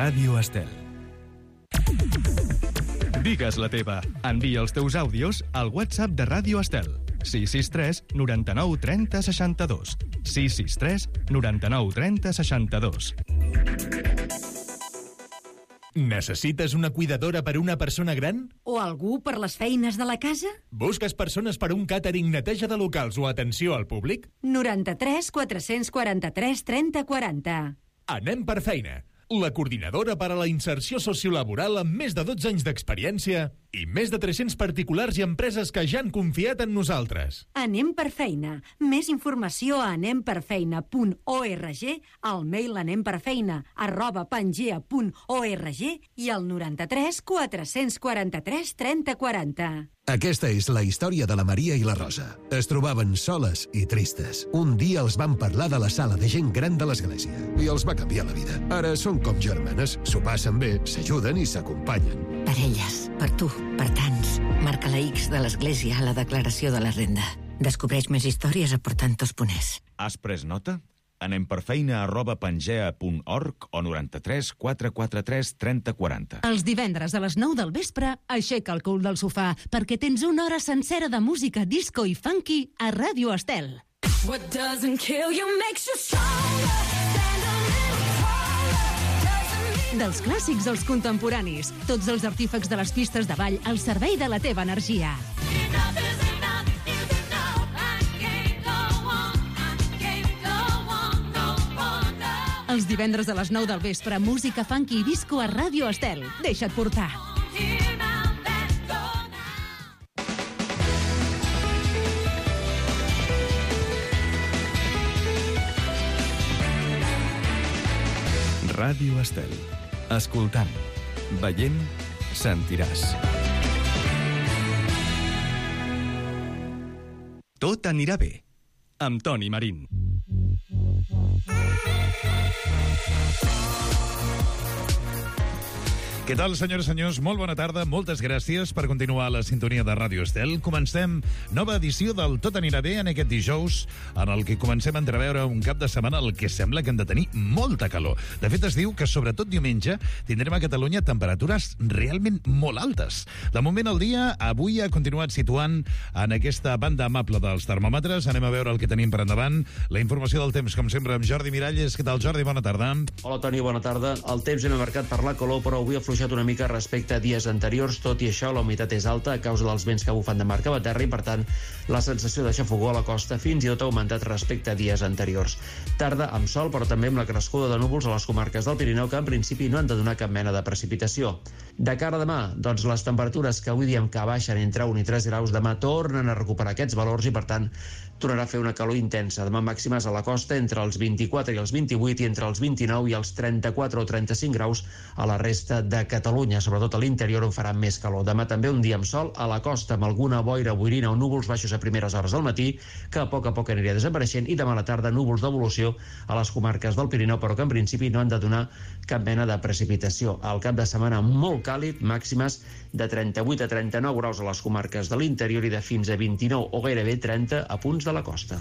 Ràdio Estel. Digues la teva. Envia els teus àudios al WhatsApp de Ràdio Estel. 663 99 30 62. 663 99 30 62. Necessites una cuidadora per una persona gran? O algú per les feines de la casa? Busques persones per un càtering, neteja de locals o atenció al públic? 93 443 30 40. Anem per feina. La coordinadora per a la inserció sociolaboral amb més de 12 anys d'experiència i més de 300 particulars i empreses que ja han confiat en nosaltres. Anem per feina. Més informació a anemperfeina.org, al mail anemperfeina@pangea.org i al 93 443 30 40. Aquesta és la història de la Maria i la Rosa. Es trobaven soles i tristes. Un dia els van parlar de la sala de gent gran de l'església i els va canviar la vida. Ara són com germanes, s'ho passen bé, s'ajuden i s'acompanyen. Per elles, per tu, per tants. Marca la X de l'església a la declaració de la renda. Descobreix més històries a portantos.es. Has pres nota? anemperfeina@pangea.org o 93 443 30 40. Els divendres a les 9 del vespre, aixeca el cul del sofà perquè tens una hora sencera de música disco i funky a Ràdio Estel. What doesn't kill you makes you stronger. Dels clàssics als contemporanis, tots els artífecs de les pistes de ball al servei de la teva energia. Els divendres a les 9 del vespre, música funky i disco a Ràdio Estel. Deixa't portar. Ràdio Estel. Escoltant, veient, sentiràs. Tot anirà bé. Amb Toni Marín. Què tal, senyores i senyors? Molt bona tarda, moltes gràcies per continuar a la sintonia de Ràdio Estel. Comencem nova edició del Tot anirà bé en aquest dijous, en el que comencem a entreveure un cap de setmana el que sembla que hem de tenir molta calor. De fet, es diu que sobretot diumenge tindrem a Catalunya temperatures realment molt altes. De moment el dia avui ha continuat situant en aquesta banda amable dels termòmetres. Anem a veure el que tenim per endavant. La informació del temps, com sempre, amb Jordi Miralles. Què tal, Jordi? Bona tarda. Hola, Toni, bona tarda. El temps hem marcat per la calor, però avui ha afluixat una mica respecte a dies anteriors. Tot i això, la humitat és alta a causa dels vents que bufen de mar cap a terra i, per tant, la sensació de xafogor a la costa fins i tot ha augmentat respecte a dies anteriors. Tarda amb sol, però també amb la crescuda de núvols a les comarques del Pirineu, que en principi no han de donar cap mena de precipitació. De cara a demà, doncs les temperatures que avui diem que baixen entre 1 i 3 graus, demà tornen a recuperar aquests valors i, per tant, tornarà a fer una calor intensa. Demà màximes a la costa entre els 24 i els 28 i entre els 29 i els 34 o 35 graus a la resta de Catalunya, sobretot a l'interior on farà més calor. Demà també un dia amb sol a la costa, amb alguna boira, boirina o núvols baixos a primeres hores del matí, que a poc aniria desapareixent, i demà a la tarda núvols d'evolució a les comarques del Pirineu, però que en principi no han de donar cap mena de precipitació. Al cap de setmana molt càlid, màximes de 38 a 39 graus a les comarques de l'interior i de fins a 29 o gairebé 30 a punts de la costa.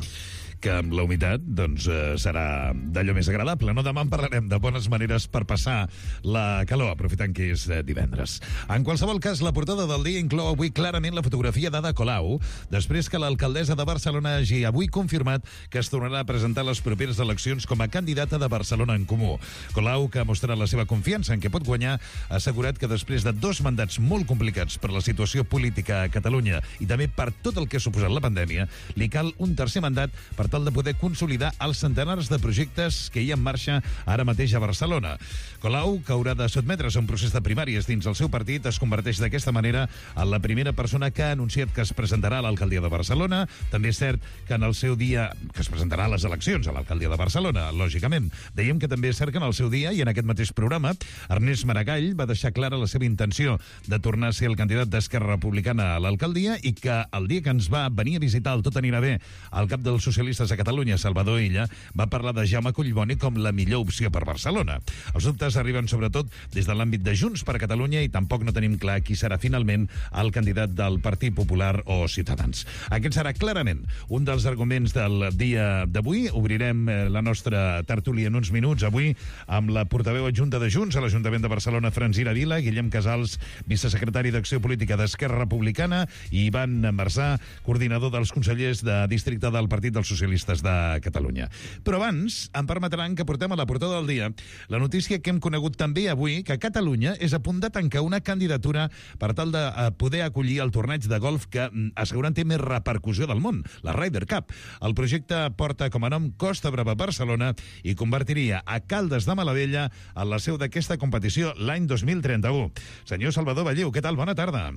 Que amb la humitat doncs, serà d'allò més agradable. No, demà en parlarem de bones maneres per passar la calor, aprofitant que és divendres. En qualsevol cas, la portada del dia inclou avui clarament la fotografia d'Ada Colau, després que l'alcaldessa de Barcelona hagi avui confirmat que es tornarà a presentar a les properes eleccions com a candidata de Barcelona en Comú. Colau, que ha mostrat la seva confiança en què pot guanyar, ha assegurat que després de 2 mandats molt complicats per la situació política a Catalunya i també per tot el que ha suposat la pandèmia, li cal un tercer mandat per tal de poder consolidar els centenars de projectes que hi ha en marxa ara mateix a Barcelona. Colau, que haurà de sotmetre's a un procés de primàries dins el seu partit, es converteix d'aquesta manera en la primera persona que ha anunciat que es presentarà a l'alcaldia de Barcelona. També és cert que en el seu dia, que es presentarà a les eleccions a l'alcaldia de Barcelona, lògicament. Dèiem que també és cert que en el seu dia, i en aquest mateix programa, Ernest Maragall va deixar clara la seva intenció de tornar a ser el candidat d'Esquerra Republicana a l'alcaldia i que el dia que ens va venir a visitar el Tot anirà bé al cap dels socialistes socialistes a Catalunya, Salvador Illa, va parlar de Jaume Collboni com la millor opció per Barcelona. Els dubtes arriben sobretot des de l'àmbit de Junts per Catalunya i tampoc no tenim clar qui serà finalment el candidat del Partit Popular o Ciutadans. Aquest serà clarament un dels arguments del dia d'avui. Obrirem la nostra tertúlia en uns minuts avui amb la portaveu adjunta de Junts a l'Ajuntament de Barcelona, Francina Vila, Guillem Casals, vicesecretari d'Acció Política d'Esquerra Republicana, i Ivan Marsà, coordinador dels consellers de districte del Partit dels Socialistes de Catalunya. Però abans em permetran que portem a la portada del dia la notícia que hem conegut també avui, que Catalunya és a punt de tancar una candidatura per tal de poder acollir el torneig de golf que asseguren té més repercussió del món, la Ryder Cup. El projecte porta com a nom Costa Brava Barcelona i convertiria a Caldes de Malavella en la seu d'aquesta competició l'any 2031. Senyor Salvador Balliu, què tal? Bona tarda.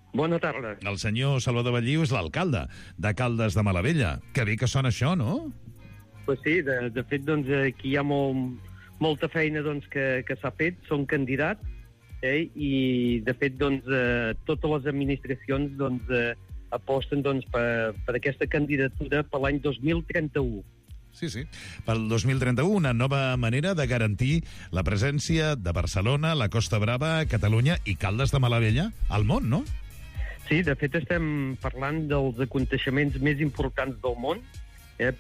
Bona tarda. El senyor Salvador Balliu és l'alcalde de Caldes de Malavella. Que bé que sona això, no? Pues sí, de fet, doncs, aquí hi ha molta feina doncs, que s'ha fet, són candidats, i de fet, doncs, totes les administracions doncs, aposten doncs, per aquesta candidatura per l'any 2031. Sí. Pel 2031, una nova manera de garantir la presència de Barcelona, la Costa Brava, Catalunya i Caldes de Malavella al món, no? Sí, de fet estem parlant dels aconteixements més importants del món.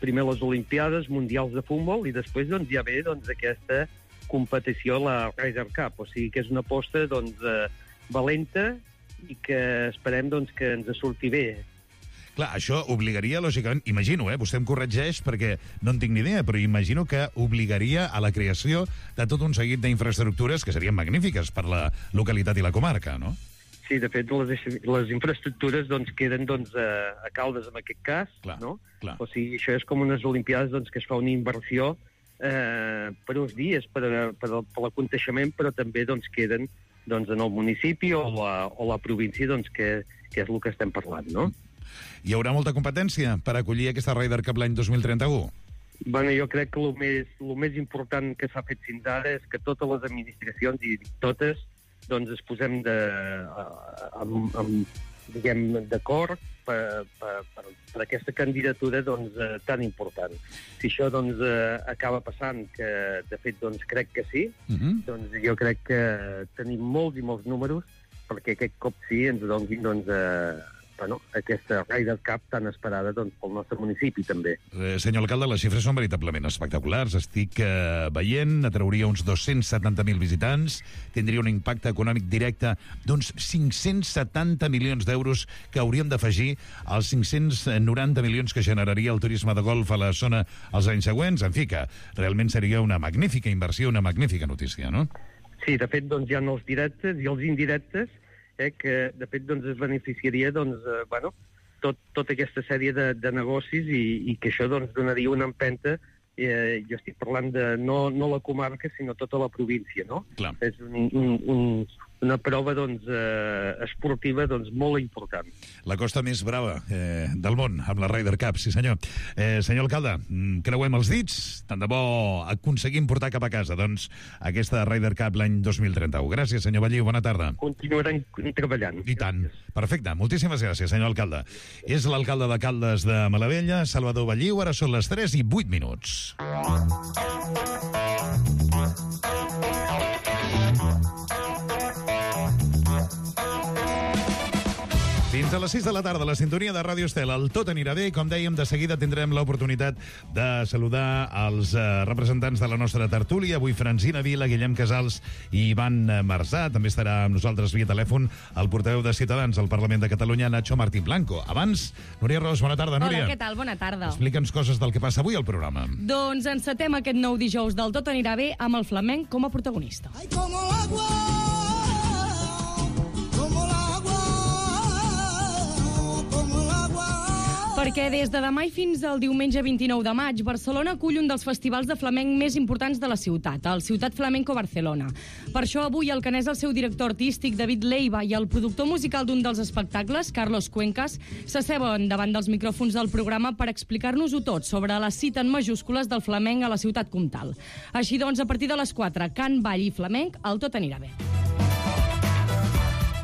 Primer les Olimpiades Mundials de Futbol i després doncs, ja ve doncs, aquesta competició, la Ryder Cup. O sigui que és una aposta doncs, valenta i que esperem doncs, que ens surti bé. Clar, això obligaria, lògicament, imagino, vostè em corregeix perquè no en tinc ni idea, però imagino que obligaria a la creació de tot un seguit d'infraestructures que serien magnífiques per la localitat i la comarca, no? Sí, de fet, les infraestructures doncs, queden doncs, a Caldes, en aquest cas. Clar, no? Clar. O sigui, això és com unes Olimpiades doncs, que es fa una inversió per uns dies, per l'aconteixement, però també doncs, queden doncs, en el municipi o la província, doncs, que és el que estem parlant, no? Hi haurà molta competència per acollir aquesta Ryder Cup l'any 2031? Bueno, jo crec que el més important que s'ha fet fins ara és que totes les administracions, i totes, doncs es posem d'acord per aquesta candidatura doncs, tan important. Si això doncs, acaba passant, que de fet doncs, crec que sí, doncs jo crec que tenim molts i molts números perquè aquest cop sí ens donin doncs, aquesta Ryder Cup tan esperada doncs, pel nostre municipi, també. Senyor alcalde, les xifres són veritablement espectaculars. Estic veient, atrauria uns 270.000 visitants, tindria un impacte econòmic directe d'uns 570 milions d'euros que hauríem d'afegir als 590 milions que generaria el turisme de golf a la zona els anys següents. En fi, que realment seria una magnífica inversió, una magnífica notícia, no? Sí, de fet, doncs, hi ha els directes i els indirectes, que de fet doncs, es beneficiaria doncs, tota aquesta sèrie de negocis i que això doncs, donaria una empenta. Jo estic parlant de no la comarca, sinó tota la província, no? Clar. És una prova doncs, esportiva doncs, molt important. La costa més brava del món, amb la Ryder Cup, sí senyor. Senyor alcalde, creuem els dits, tant de bo aconseguim portar cap a casa doncs, aquesta Ryder Cup l'any 2031. Gràcies, senyor Balliu, bona tarda. Continuarem treballant. I tant. Perfecte, moltíssimes gràcies, senyor alcalde. És l'alcalde de Caldes de Malavella, Salvador Balliu. Ara són les 3:08. Fins a les 6 de la tarda, la sintonia de Ràdio Estel. El Tot anirà bé. Com dèiem, de seguida tindrem l'oportunitat de saludar els representants de la nostra tertúlia. Avui Francina Vila, Guillem Casals i Ivan Marsà. També estarà amb nosaltres via telèfon el portaveu de Ciutadans al Parlament de Catalunya, Nacho Martín Blanco. Abans, Núria Ros, bona tarda, Núria. Hola, què tal? Bona tarda. Explica'ns coses del que passa avui al programa. Doncs encetem aquest nou dijous del Tot anirà bé amb el flamenc com a protagonista. Ay, como agua, Perquè des de demà i fins al diumenge 29 de maig, Barcelona acull un dels festivals de flamenc més importants de la ciutat, el Ciutat Flamenco Barcelona. Per això avui el canès, el seu director artístic, David Leiva, i el productor musical d'un dels espectacles, Carlos Cuencas, s'asseuen davant dels micròfons del programa per explicar-nos-ho tot sobre la cita en majúscules del flamenc a la ciutat comtal. Així doncs, a partir de les 4, cant, ball i flamenc, el Tot anirà bé.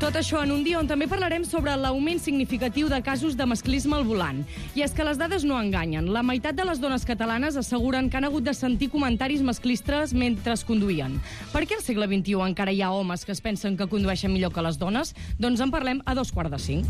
Tot això en un dia on també parlarem sobre l'augment significatiu de casos de masclisme al volant. I és que les dades no enganyen. La meitat de les dones catalanes asseguren que han hagut de sentir comentaris masclistes mentre conduïen. Per què al segle XXI encara hi ha homes que es pensen que condueixen millor que les dones? Doncs en parlem a 4:45.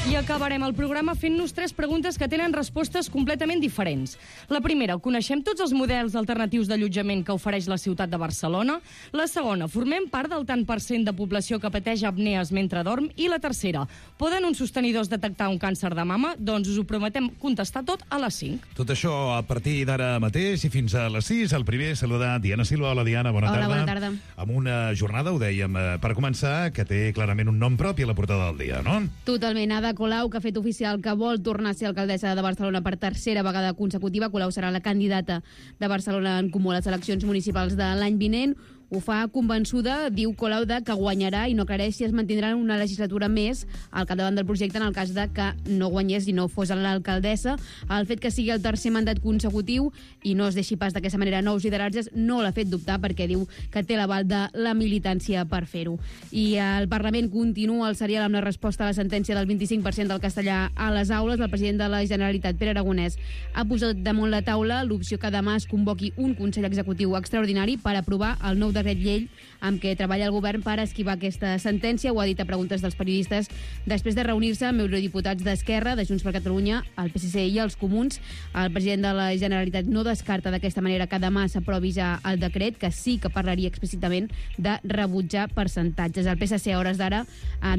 I acabarem el programa fent-nos 3 preguntes que tenen respostes completament diferents. La primera, coneixem tots els models alternatius d'allotjament que ofereix la ciutat de Barcelona? La segona, formem part del tant per cent de població que pateix apnees mentre dorm? I la tercera, poden uns sostenidors detectar un càncer de mama? Doncs us ho prometem contestar tot a les 5. Tot això a partir d'ara mateix i fins a les 6. El primer, saludar Diana Silva. Hola, Diana, bona tarda. Hola, bona tarda. Amb una jornada, ho dèiem, per començar, que té clarament un nom propi a la portada del dia, no? Totalment. Ada Colau, que ha fet oficial que vol tornar a ser alcaldessa de Barcelona per tercera vegada consecutiva. Colau serà la candidata de Barcelona en Comú a les eleccions municipals de l'any vinent. Ho fa convençuda, diu Colau, que guanyarà i no aclareix si es mantindrà una legislatura més al capdavant del projecte en el cas de que no guanyés i no fos l'alcaldessa. El fet que sigui el tercer mandat consecutiu i no es deixi pas d'aquesta manera nous lideratges no l'ha fet dubtar perquè diu que té l'aval de la militància per fer-ho. I el Parlament continua el serial amb la resposta a la sentència del 25% del castellà a les aules. El president de la Generalitat, Pere Aragonès, ha posat damunt la taula l'opció que demà es convoqui un Consell Executiu extraordinari per aprovar el nou decret llei amb què treballa el govern per esquivar aquesta sentència. Ho ha dit a preguntes dels periodistes després de reunir-se amb eurodiputats d'Esquerra, de Junts per Catalunya, el PSC i els Comuns. El president de la Generalitat no descarta d'aquesta manera que demà s'aprovi ja el decret, que sí que parlaria explícitament de rebutjar percentatges. El PSC a hores d'ara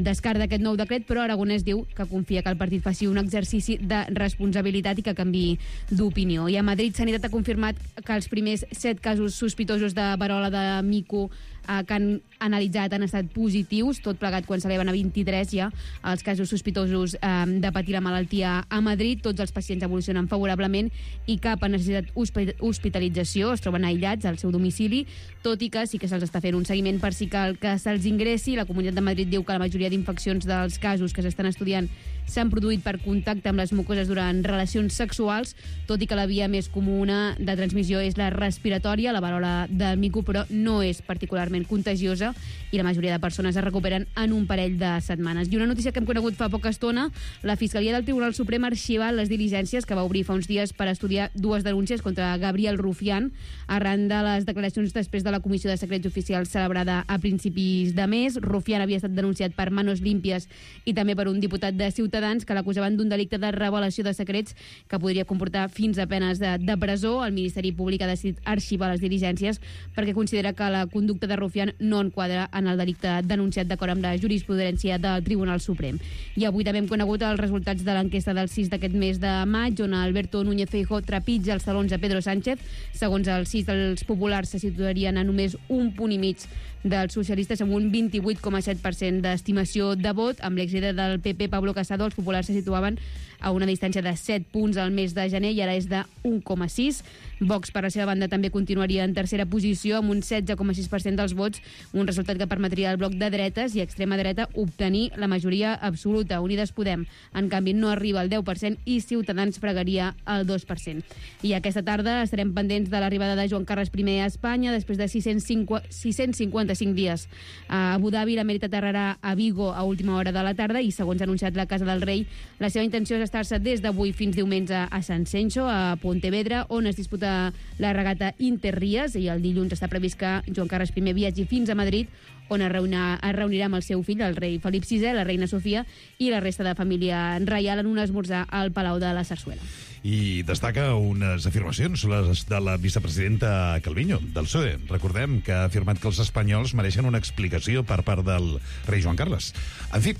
descarta aquest nou decret, però Aragonès diu que confia que el partit faci un exercici de responsabilitat i que canviï d'opinió. I a Madrid Sanitat ha confirmat que els primers 7 casos sospitosos de verola de mico que han analitzat han estat positius, tot plegat quan s'eleven a 23 ja els casos sospitosos de patir la malaltia a Madrid. Tots els pacients evolucionen favorablement i cap ha necessitat hospitalització, es troben aïllats al seu domicili, tot i que sí que se'ls està fent un seguiment per si cal que se'ls ingressi. La Comunitat de Madrid diu que la majoria d'infeccions dels casos que s'estan estudiant s'han produït per contacte amb les mucoses durant relacions sexuals, tot i que la via més comuna de transmissió és la respiratòria. La verola del mico, però, no és particularment contagiosa i la majoria de persones es recuperen en un parell de setmanes. I una notícia que hem conegut fa poca estona, la Fiscalia del Tribunal Suprem ha arxivat les diligències que va obrir fa uns dies per estudiar 2 denúncies contra Gabriel Rufián arran de les declaracions després de la Comissió de Secrets Oficials celebrada a principis de mes. Rufián havia estat denunciat per manos límpies i també per un diputat de Ciutadans que l'acusaven d'un delicte de revelació de secrets que podria comportar fins a penes de presó. El Ministeri Públic ha decidit arxivar les diligències perquè considera que la conducta de Rufián no enquadra en el delicte denunciat d'acord amb la jurisprudència del Tribunal Suprem. I avui també hem conegut els resultats de l'enquesta del 6 d'aquest mes de maig, on Alberto Núñez Feijóo trepitja els talons a Pedro Sánchez. Segons el 6, els populars se situarien a només 1,5 punts dels socialistes amb un 28,7% d'estimació de vot. Amb l'exlíder del PP, Pablo Casado, els populars se situaven a una distància de 7 punts al mes de gener i ara és de 1,6. Vox, per la seva banda, també continuaria en tercera posició amb un 16,6% dels vots, un resultat que permetria al bloc de dretes i extrema dreta obtenir la majoria absoluta. Unides Podem, en canvi, no arriba al 10% i Ciutadans fregaria el 2%. I aquesta tarda estarem pendents de l'arribada de Joan Carles I a Espanya després de 655 dies. A Abu Dhabi, l'emèrit aterrarà a Vigo a última hora de la tarda i, segons ha anunciat la Casa del Rei, la seva intenció és estar-se des d'avui fins diumenge a San Censo, a Pontevedra, on es disputa la regata Interrías, i el dilluns està previst que Joan Carles I viatgi fins a Madrid, on es reunirà amb el seu fill, el rei Felip VI, la reina Sofia i la resta de família reial en un esmorzar al Palau de la Sarsuela. I destaca unes afirmacions, les de la vicepresidenta Calviño, del PSOE. Recordem que ha afirmat que els espanyols mereixen una explicació per part del rei Joan Carles. En fi,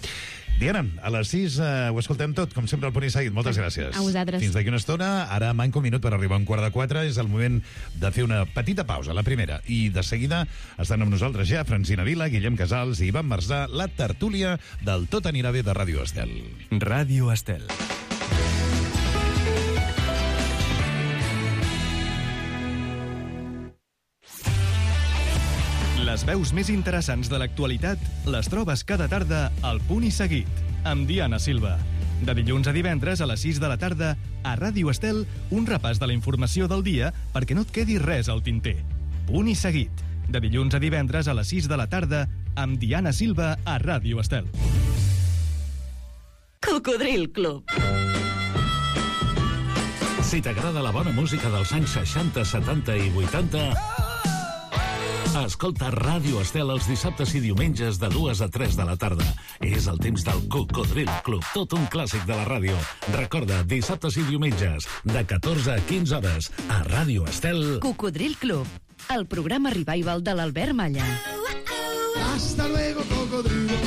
Diana, a les 6 ho escoltem tot, com sempre, al Punt i Seguit. Moltes gràcies. A vosaltres. Fins d'aquí una estona. Ara manca un minut per arribar a 3:15. És el moment de fer una petita pausa, la primera. I de seguida estan amb nosaltres ja Francina Vila, Guillem Casals i Ivan Marsà, la tertúlia del Tot anirà bé de Ràdio Estel. Ràdio Estel. Les veus més interessants de l'actualitat les trobes cada tarda al Punt i Seguit, amb Diana Silva. De dilluns a divendres a les 6 de la tarda, a Ràdio Estel, un repàs de la informació del dia perquè no et quedi res al tinter. Punt i Seguit. De dilluns a divendres a les 6 de la tarda, amb Diana Silva a Ràdio Estel. Cocodril Club. Si t'agrada la bona música dels anys 60, 70 i 80... Escolta Ràdio Estel els dissabtes i diumenges de 2 a 3 de la tarda. És el temps del Cocodril Club, tot un clàssic de la ràdio. Recorda, dissabtes i diumenges, de 14 a 15 hores, a Ràdio Estel. Cocodril Club, el programa revival de l'Albert Malla. Hasta luego, cocodrilo.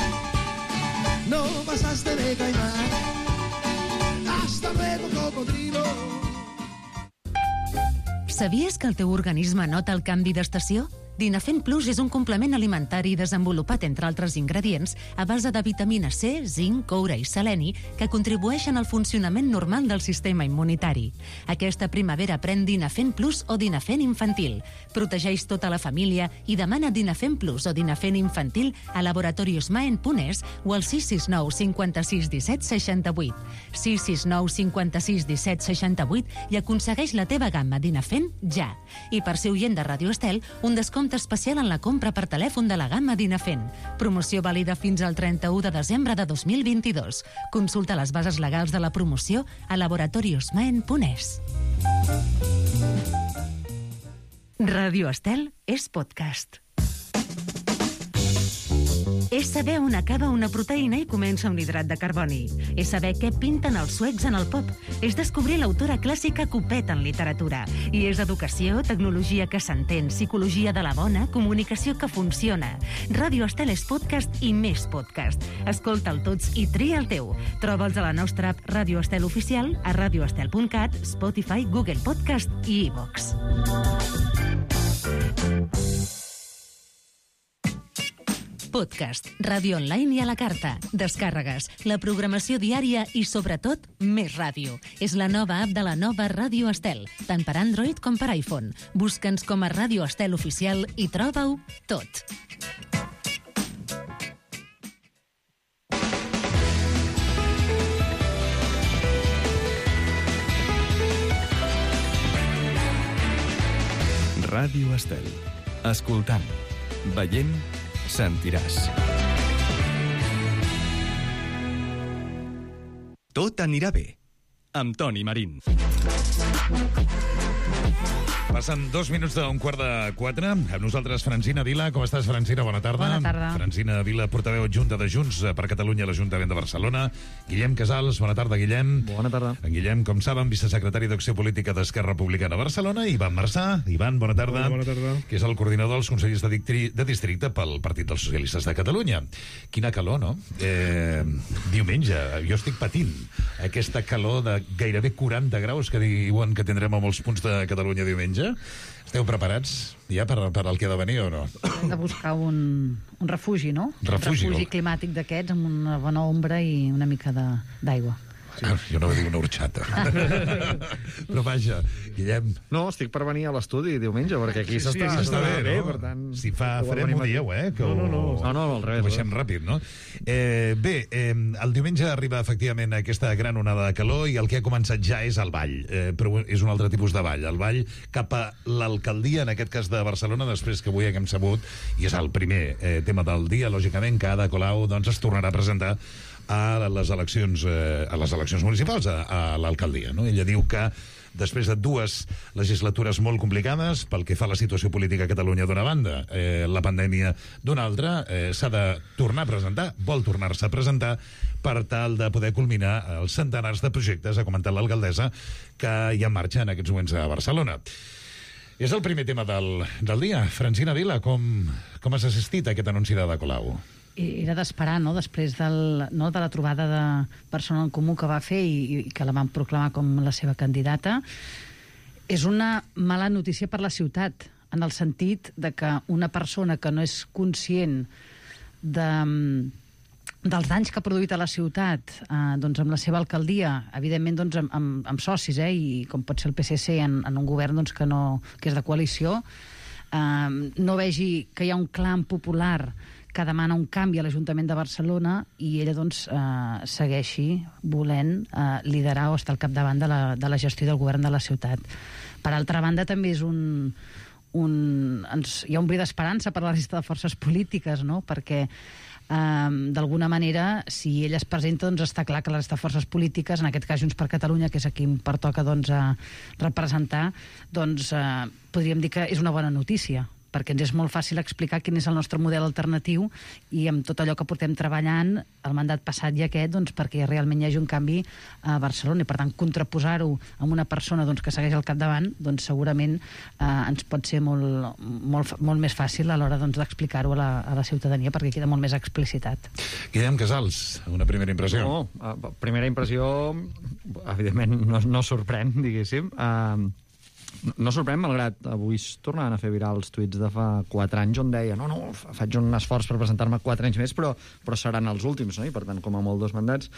No pasaste de caimán. Hasta luego, cocodrilo. Sabies que el teu organisme nota el canvi d'estació? Dinafen Plus és un complement alimentari desenvolupat, entre altres ingredients, a base de vitamina C, zinc, coure i seleni, que contribueixen al funcionament normal del sistema immunitari. Aquesta primavera pren Dinafen Plus o Dinafen Infantil. Protegeix tota la família i demana Dinafen Plus o Dinafen Infantil a Laboratorios Maen.es o al 669 56 17 68. 669 56 17 68 i aconsegueix la teva gamma Dinafen ja. I per ser oient de Ràdio Estel, un descompte especial en la compra per telèfon de la gamma Dinafen. Promoció vàlida fins al 31 de desembre de 2022. Consulta les bases legals de la promoció a laboratoriosmaen.es. Ràdio Estel és podcast. És saber on acaba una proteïna i comença un hidrat de carboni. És saber què pinten els suecs en el pop. És descobrir l'autora clàssica que ho peta en literatura. I és educació, tecnologia que s'entén, psicologia de la bona, comunicació que funciona. Ràdio Estel és podcast i més podcast. Escolta'l tots i tria el teu. Troba'ls a la nostra app Ràdio Estel Oficial, a radioestel.cat, Spotify, Google Podcast i iVox. Podcast, ràdio online i a la carta, descàrregues, la programació diària i, sobretot, més ràdio. És la nova app de la nova Ràdio Estel, tant per Android com per iPhone. Busca'ns com a Ràdio Estel Oficial i troba-ho tot. Ràdio Estel. Escoltant, veient, sentiràs. Tot anirà bé, amb Toni Marín. Passen 2 minuts d'un 3:45. Amb nosaltres, Francina Vila. Com estàs, Francina? Bona tarda. Bona tarda. Francina Vila, portaveu adjunta de Junts per Catalunya a l'Ajuntament de Barcelona. Guillem Casals. Bona tarda, Guillem. Bona tarda. En Guillem, com saben, vicesecretari d'Acció Política d'Esquerra Republicana a Barcelona. Ivan Marçà. Ivan, bona tarda. Bona tarda. Que és el coordinador dels consellers de districte pel Partit dels Socialistes de Catalunya. Quina calor, no? Diumenge, jo estic patint aquesta calor de gairebé 40 graus que diuen que tindrem a molts punts de Catalunya diumenge. Esteu preparats ja per al que ha de venir o no? Hem de buscar un refugi, no? Refugi, un refugi climàtic d'aquests amb una bona ombra i una mica d'aigua. Sí. Jo no dic una horxata. Però vaja, Guillem... No, estic per venir a l'estudi diumenge, perquè aquí s'està bé, no? Per tant... Si fa fred, m'ho dieu, Que No, al revés. Ho baixem ràpid, no? El diumenge arriba efectivament aquesta gran onada de calor i el que ha començat ja és el ball, però és un altre tipus de ball. El ball cap a l'alcaldia, en aquest cas de Barcelona, després que avui haguem sabut, i és el primer tema del dia, lògicament, que Ada Colau doncs, es tornarà a presentar a les eleccions municipals, a l'alcaldia, no? Ella diu que després de 2 legislatures molt complicades pel que fa a la situació política a Catalunya d'una banda, la pandèmia d'una altra, s'ha de tornar a presentar, vol tornar-se a presentar per tal de poder culminar els centenars de projectes, ha comentat l'alcaldessa, que hi ha en marxa en aquests moments a Barcelona. És el primer tema del dia. Francina Vila, com has assistit a aquest anunci d'Ada Colau? Era d'esperar, no?, després de la trobada de Persona en Comú que va fer i que la van proclamar com la seva candidata. És una mala notícia per la ciutat, en el sentit de que una persona que no és conscient dels danys que ha produït a la ciutat doncs amb la seva alcaldia, evidentment doncs amb socis, i com pot ser el PSC en un govern doncs, que és de coalició, no vegi que hi ha un clam popular que demana un canvi a l'Ajuntament de Barcelona i ella doncs segueixi volent liderar o estar al capdavant de la gestió del govern de la ciutat. Per altra banda, també és un hi ha un bri d'esperança per a la resta de forces polítiques, no? Perquè d'alguna manera, si ell es presenta, doncs està clar que la resta de forces polítiques, en aquest cas Junts per Catalunya, que és a qui em pertoca representar, doncs podríem dir que és una bona notícia, perquè ens és molt fàcil explicar quin és el nostre model alternatiu i amb tot allò que portem treballant el mandat passat i aquest, doncs, perquè realment hi hagi un canvi a Barcelona i, per tant, contraposar-ho amb una persona que segueix al capdavant, doncs segurament ens pot ser molt més fàcil a l'hora d'explicar-ho a la ciutadania, perquè queda molt més explicitat. Guillem Casals, una primera impressió. Primera impressió, evidentment, no sorprèn, diguéssim. No sorprèn, malgrat avui es tornaven a fer viral els tuits de fa 4 anys on deia no, faig un esforç per presentar-me 4 anys més, però seran els últims, no? I per tant, com a molt 2 mandats.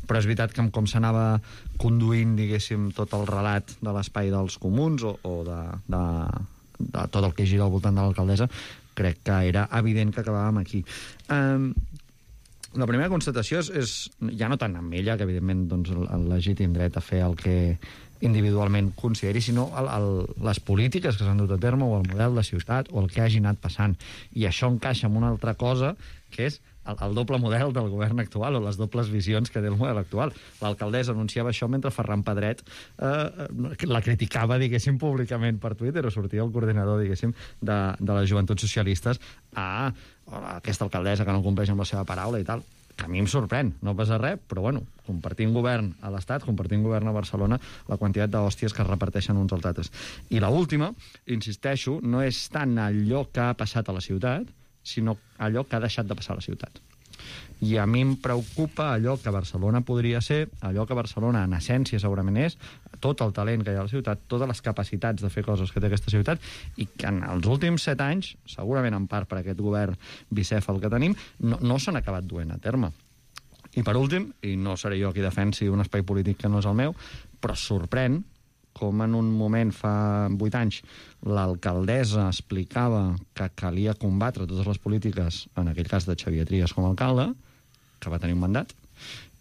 Però és veritat que com s'anava conduint, diguéssim, tot el relat de l'espai dels comuns o de tot el que gira al voltant de l'alcaldessa, crec que era evident que acabàvem aquí. La primera constatació és ja no tant amb ella, que evidentment doncs, el legítim dret a fer el que individualment consideri, sinó les polítiques que s'han dut a terme o el model de ciutat o el que hagi anat passant. I això encaixa amb una altra cosa, que és el doble model del govern actual o les dobles visions que té el model actual. L'alcaldessa anunciava això mentre Ferran Pedret la criticava, diguéssim, públicament per Twitter, o sortia el coordinador, diguéssim, de les joventuts socialistes aquesta alcaldessa que no compleix amb la seva paraula i tal. Que a mi em sorprèn, no passa res, però bueno, compartint govern a l'Estat, compartint govern a Barcelona, la quantitat d'hòsties que es reparteixen uns als altres. I l'última, insisteixo, no és tant allò que ha passat a la ciutat, sinó allò que ha deixat de passar a la ciutat. I a mi em preocupa allò que Barcelona podria ser, allò que Barcelona en essència segurament és, tot el talent que hi ha a la ciutat, totes les capacitats de fer coses que té aquesta ciutat, i que en els últims 7 anys, segurament en part per aquest govern bicèfal que tenim, no s'han acabat duent a terme. I per últim, i no seré jo qui defensi un espai polític que no és el meu, però sorprèn com en un moment fa 8 anys l'alcaldessa explicava que calia combatre totes les polítiques, en aquell cas de Xavier Trias com a alcalde, que va tenir un mandat,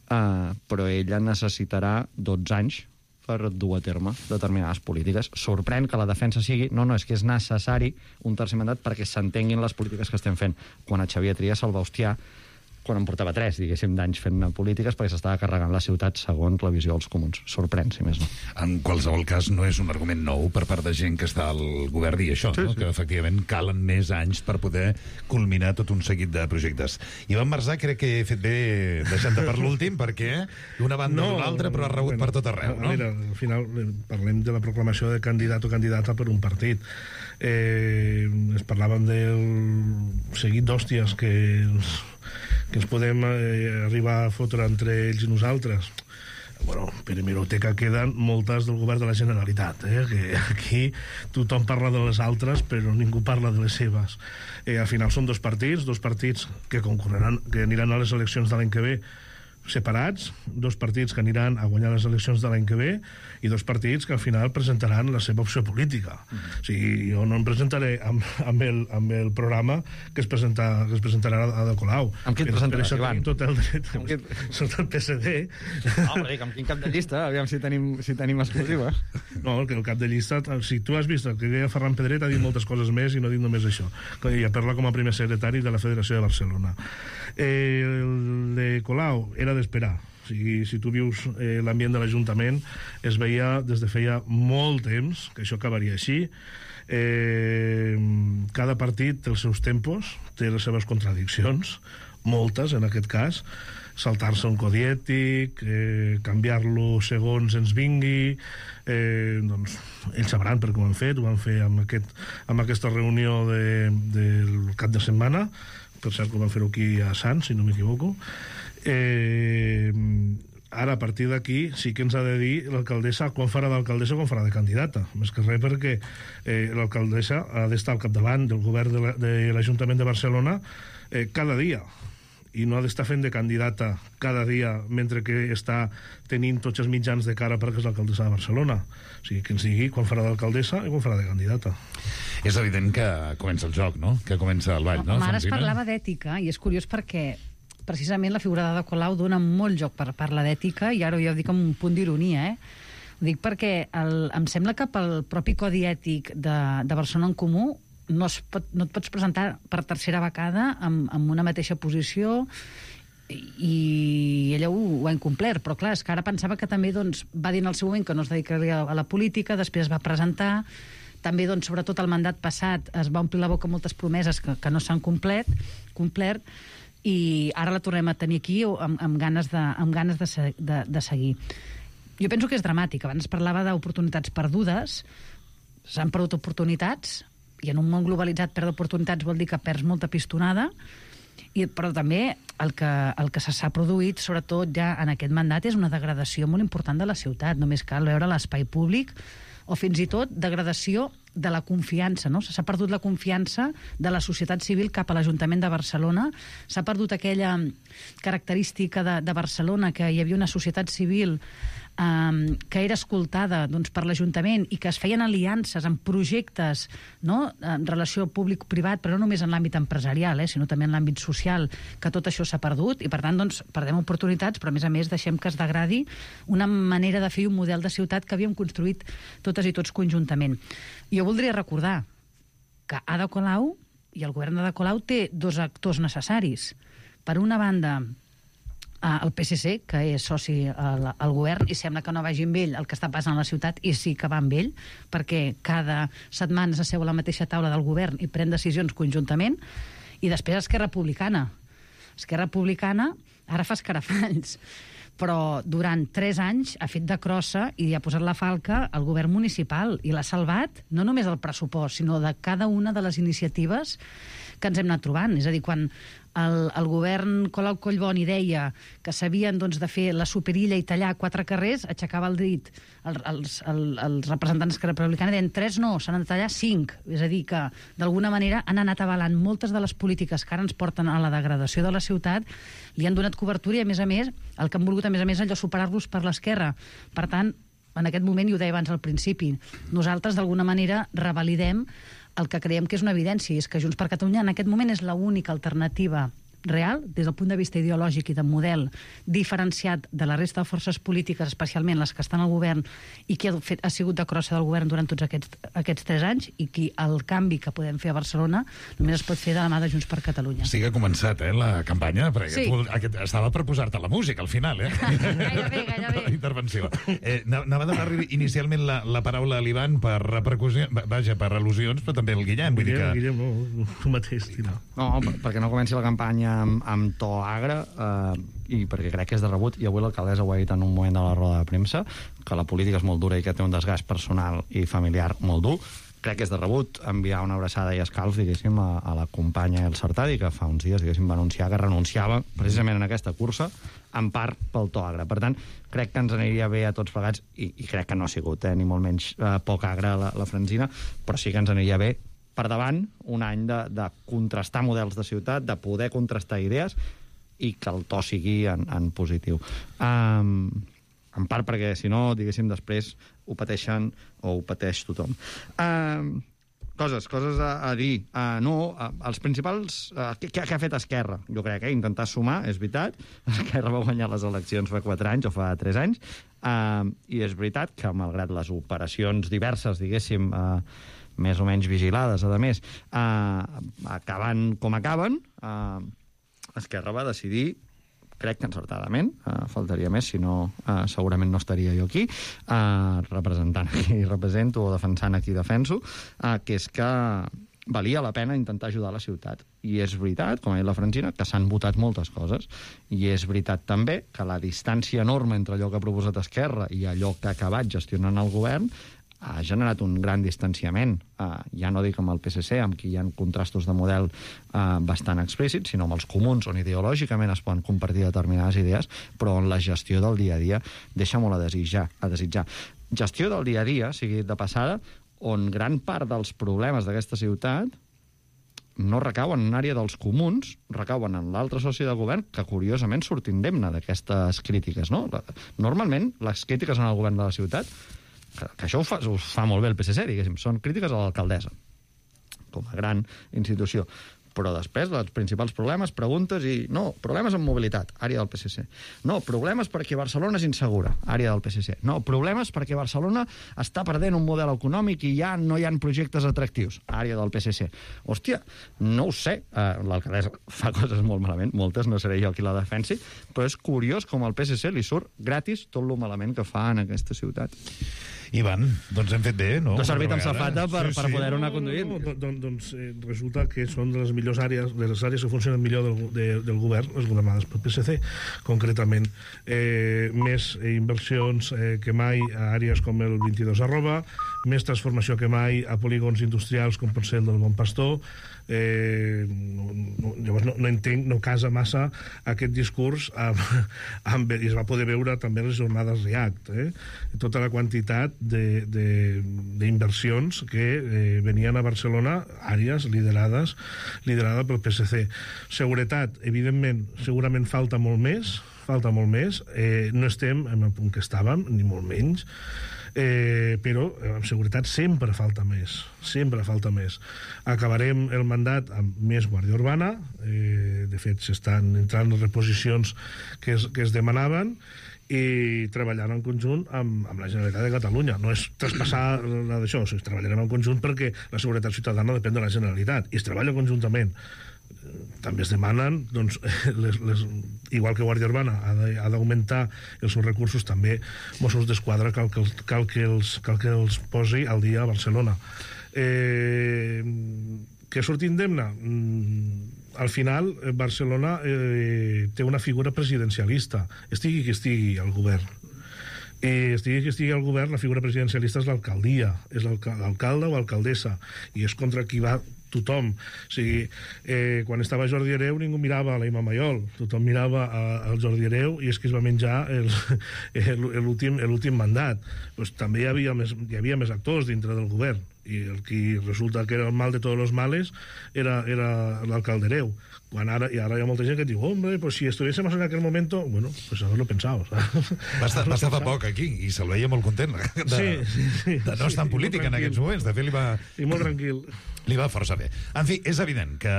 però ella necessitarà 12 anys per dur a terme determinades polítiques. Sorprèn que la defensa sigui és que és necessari un tercer mandat perquè s'entenguin les polítiques que estem fent, quan a Xavier Trias se'l va hostiar quan en portava 3, diguéssim, d'anys fent polítiques perquè s'estava carregant la ciutat segons la visió dels comuns. Sorprèn, si més no. En qualsevol cas, no és un argument nou per part de gent que està al govern dir això, sí, no? Que efectivament calen més anys per poder culminar tot un seguit de projectes. Ivan Marzà, crec que he fet bé deixant-te per l'últim, perquè d'una banda o l'altra, però ha rebut per tot arreu, no? Mira, al final parlem de la proclamació de candidat o candidata per un partit. Es parlàvem del seguit d'hòsties que ens podem arribar a fotre entre ells i nosaltres. Bueno, per hemeroteca queden moltes del govern de la Generalitat, que aquí tothom parla de les altres però ningú parla de les seves. Al final són dos partits que concorreran, que aniran a les eleccions de l'any que ve separats, 2 partits que aniran a guanyar les eleccions de l'any que ve i 2 partits que al final presentaran la seva opció política. O sigui, jo no em presentaré amb el programa que es presentarà a Ada Colau. Amb qui et presentaràs, Ivan? Tot el dret. Sóc del PSD. Però dic, amb quin cap de llista? Aviam si tenim exclusiva. No, el cap de llista, si tu has vist el que deia Ferran Pedret, ha dit moltes coses més i no ha dit només això. I parla com a primer secretari de la Federació de Barcelona. El de Colau era d'esperar. O sigui, si tu vius l'ambient de l'Ajuntament, es veia des de feia molt temps que això acabaria així. Cada partit té els seus tempos, té les seves contradiccions, moltes en aquest cas, saltar-se un codi ètic, canviar-lo segons ens vingui, doncs ells sabran per què ho han fet amb aquesta reunió del cap de setmana, per cert que ho van fer aquí a Sants, si no m'equivoco. Ara, a partir d'aquí, sí que ens ha de dir l'alcaldessa quan farà d'alcaldessa o quan farà de candidata. Més que res perquè l'alcaldessa ha d'estar al capdavant del govern de l'Ajuntament de Barcelona cada dia, i no ha d'estar fent de candidata cada dia mentre que està tenint tots els mitjans de cara perquè és l'alcaldessa de Barcelona. O sigui, que ens digui quan farà d'alcaldessa i quan farà de candidata. És evident que comença el joc, no? Que comença el ball, no? Ara es parlava d'ètica, i és curiós perquè precisament la figura d'Ada Colau dona molt joc per parlar d'ètica, i ara jo dic amb un punt d'ironia, Ho dic perquè em sembla que pel propi codi ètic de Barcelona en Comú no et pots presentar per tercera vegada amb una mateixa posició, i ella ho ha incomplert, però clar, és que ara pensava que també va dir en el seu moment que no es dedicaria a la política, després es va presentar, també sobretot el mandat passat es va omplir la boca moltes promeses que no s'han complert, i ara la tornem a tenir aquí amb ganes de seguir. Jo penso que és dramàtic. Abans parlava d'oportunitats perdudes, s'han perdut oportunitats, i en un món globalitzat perdre oportunitats vol dir que perds molta pistonada, però també el que s'ha produït, sobretot ja en aquest mandat, és una degradació molt important de la ciutat. Només cal veure l'espai públic, o fins i tot degradació de la confiança, no? S'ha perdut la confiança de la societat civil cap a l'Ajuntament de Barcelona, s'ha perdut aquella característica de Barcelona, que hi havia una societat civil que era escoltada per l'Ajuntament i que es feien aliances en projectes, no?, en relació públic-privat, però no només en l'àmbit empresarial, sinó també en l'àmbit social, que tot això s'ha perdut, i per tant perdem oportunitats, però a més deixem que es degradi una manera de fer un model de ciutat que havíem construït totes i tots conjuntament. Jo voldria recordar que Ada Colau i el govern d'Ada Colau té dos actors necessaris. Per una banda, el PSC, que és soci al govern, i sembla que no vagi amb ell el que està passant a la ciutat, i sí que va amb ell, perquè cada setmana s'asseu a la mateixa taula del govern i pren decisions conjuntament. I després Esquerra Republicana. Esquerra Republicana ara fa escarafalls, però durant 3 anys ha fet de crossa i ha posat la falca al govern municipal i l'ha salvat no només del pressupost, sinó de cada una de les iniciatives que ens hem anat trobant. És a dir, quan el govern Colau Collboni deia que s'havien de fer la superilla i tallar 4 carrers, aixecava el dit els representants d'Esquerra Republicana, deien 3 no, s'han de tallar 5. És a dir, que d'alguna manera han anat avalant moltes de les polítiques que ara ens porten a la degradació de la ciutat, li han donat cobertura i, a més, el que han volgut, a més, allò superar-los per l'esquerra. Per tant, en aquest moment, i ho deia abans al principi, nosaltres d'alguna manera revalidem el que creiem que és una evidència, i és que Junts per Catalunya en aquest moment és l'única alternativa real, des del punt de vista ideològic i de model diferenciat de la resta de forces polítiques, especialment les que estan al govern i que ha sigut de crossa del govern durant tots aquests 3 anys, i que el canvi que podem fer a Barcelona només es pot fer de la mà de Junts per Catalunya. Sí que ha començat, la campanya, perquè sí. Estava per posar-te la música al final, Gairebé. La intervenció. Anava a donar inicialment la paraula a l'Ivan per repercussió, per al·lusions, però també el Guillem. Guillem, no, tu mateix. No, perquè no comenci la campanya amb to agre, i perquè crec que és de rebut, i avui l'alcaldessa ho ha dit en un moment de la roda de premsa, que la política és molt dura i que té un desgast personal i familiar molt dur. Crec que és de rebut enviar una abraçada i escalf, diguéssim, a la companya El Sartadi, que fa uns dies, diguéssim, va anunciar que renunciava precisament en aquesta cursa, en part pel to agre. Per tant, crec que ens aniria bé a tots plegats, i crec que no ha sigut, ni molt menys poc agre la Francina, però sí que ens aniria bé per davant un any de contrastar models de ciutat, de poder contrastar idees, i que el to sigui en positiu. En part perquè, si no, diguéssim, després ho pateixen o ho pateix tothom. Coses a dir. Els principals... Què ha fet Esquerra? Jo crec que intentar sumar, és veritat. Esquerra va guanyar les eleccions fa 4 anys o fa 3 anys, i és veritat que, malgrat les operacions diverses, diguéssim, més o menys vigilades, a més, acaben com acaben, Esquerra va decidir, crec que encertadament, faltaria més, si no segurament no estaria jo aquí, representant a qui represento o defensant a qui defenso, que és que valia la pena intentar ajudar la ciutat. I és veritat, com ha dit la Francina, que s'han votat moltes coses, i és veritat també que la distància enorme entre allò que ha proposat Esquerra i allò que ha acabat gestionant el govern ha generat un gran distanciament, ja no dic amb el PSC, amb qui hi ha contrastos de model bastant explícits, sinó amb els comuns, on ideològicament es poden compartir determinades idees, però on la gestió del dia a dia deixa molt a desitjar. Gestió del dia a dia, sigui de passada, on gran part dels problemes d'aquesta ciutat no recauen en àrea dels comuns, recauen en l'altre soci de govern, que curiosament surt indemne d'aquestes crítiques, no? Normalment, les crítiques en el govern de la ciutat, que això ho fa molt bé el PSC, diguéssim, són crítiques a l'alcaldessa, com a gran institució. Però després, els principals problemes, preguntes i... No, problemes amb mobilitat, àrea del PSC. No, problemes perquè Barcelona és insegura, àrea del PSC. No, problemes perquè Barcelona està perdent un model econòmic i ja no hi ha projectes atractius, àrea del PSC. Hòstia, no ho sé, l'alcaldessa fa coses molt malament, moltes, no seré jo qui la defensi, però és curiós com al PSC li surt gratis tot lo malament que fa en aquesta ciutat. Ivan, doncs hem fet bé, no? No ha servit amb safata per poder-ho anar conduint. Doncs resulta que són de les millors àrees, de les àrees que funcionen millor del govern, les governades pel PSC, concretament. Més inversions que mai a àrees com el 22 @, més transformació que mai a polígons industrials com pot ser el del Bon Pastor. Llavors no entenc, no casa massa aquest discurs i es va poder veure també les jornades REACT, tota la quantitat d'inversions que venien a Barcelona, àrees liderades pel PSC. Seguretat, evidentment, segurament falta molt més, no estem en el punt que estàvem, ni molt menys, però en seguretat sempre falta més. Acabarem el mandat amb més Guàrdia Urbana, de fet s'estan entrant reposicions que es demanaven, i treballant en conjunt amb la Generalitat de Catalunya. No és traspassar la d'això, treballarem en conjunt perquè la seguretat ciutadana depèn de la Generalitat i es treballa conjuntament. També es demanen, doncs, igual que Guàrdia Urbana ha d'augmentar els seus recursos, també Mossos d'Esquadra cal que els posi al dia a Barcelona. Què surt indemne? Al final, Barcelona té una figura presidencialista, estigui qui estigui al govern. Estigui qui estigui al govern, la figura presidencialista és l'alcaldia, és l'alcalde o alcaldessa, i és contra qui va tothom. O sigui, quan estava Jordi Hereu ningú mirava a la Imma Mayol, tothom mirava al Jordi Hereu i és que es va menjar l'últim mandat. Pues també hi havia més actors dintre del govern i el que resulta que era el mal de tots els males era l'alcalde Hereu. Ara hi ha molta gent que diu, hombre, pues si estuviésemos en aquel momento, bueno, pues haberlo pensado. Va estar fa poc aquí i se'l veia molt content de no estar en política en aquests moments. De fet, i molt tranquil. Li va força bé. En fi, és evident que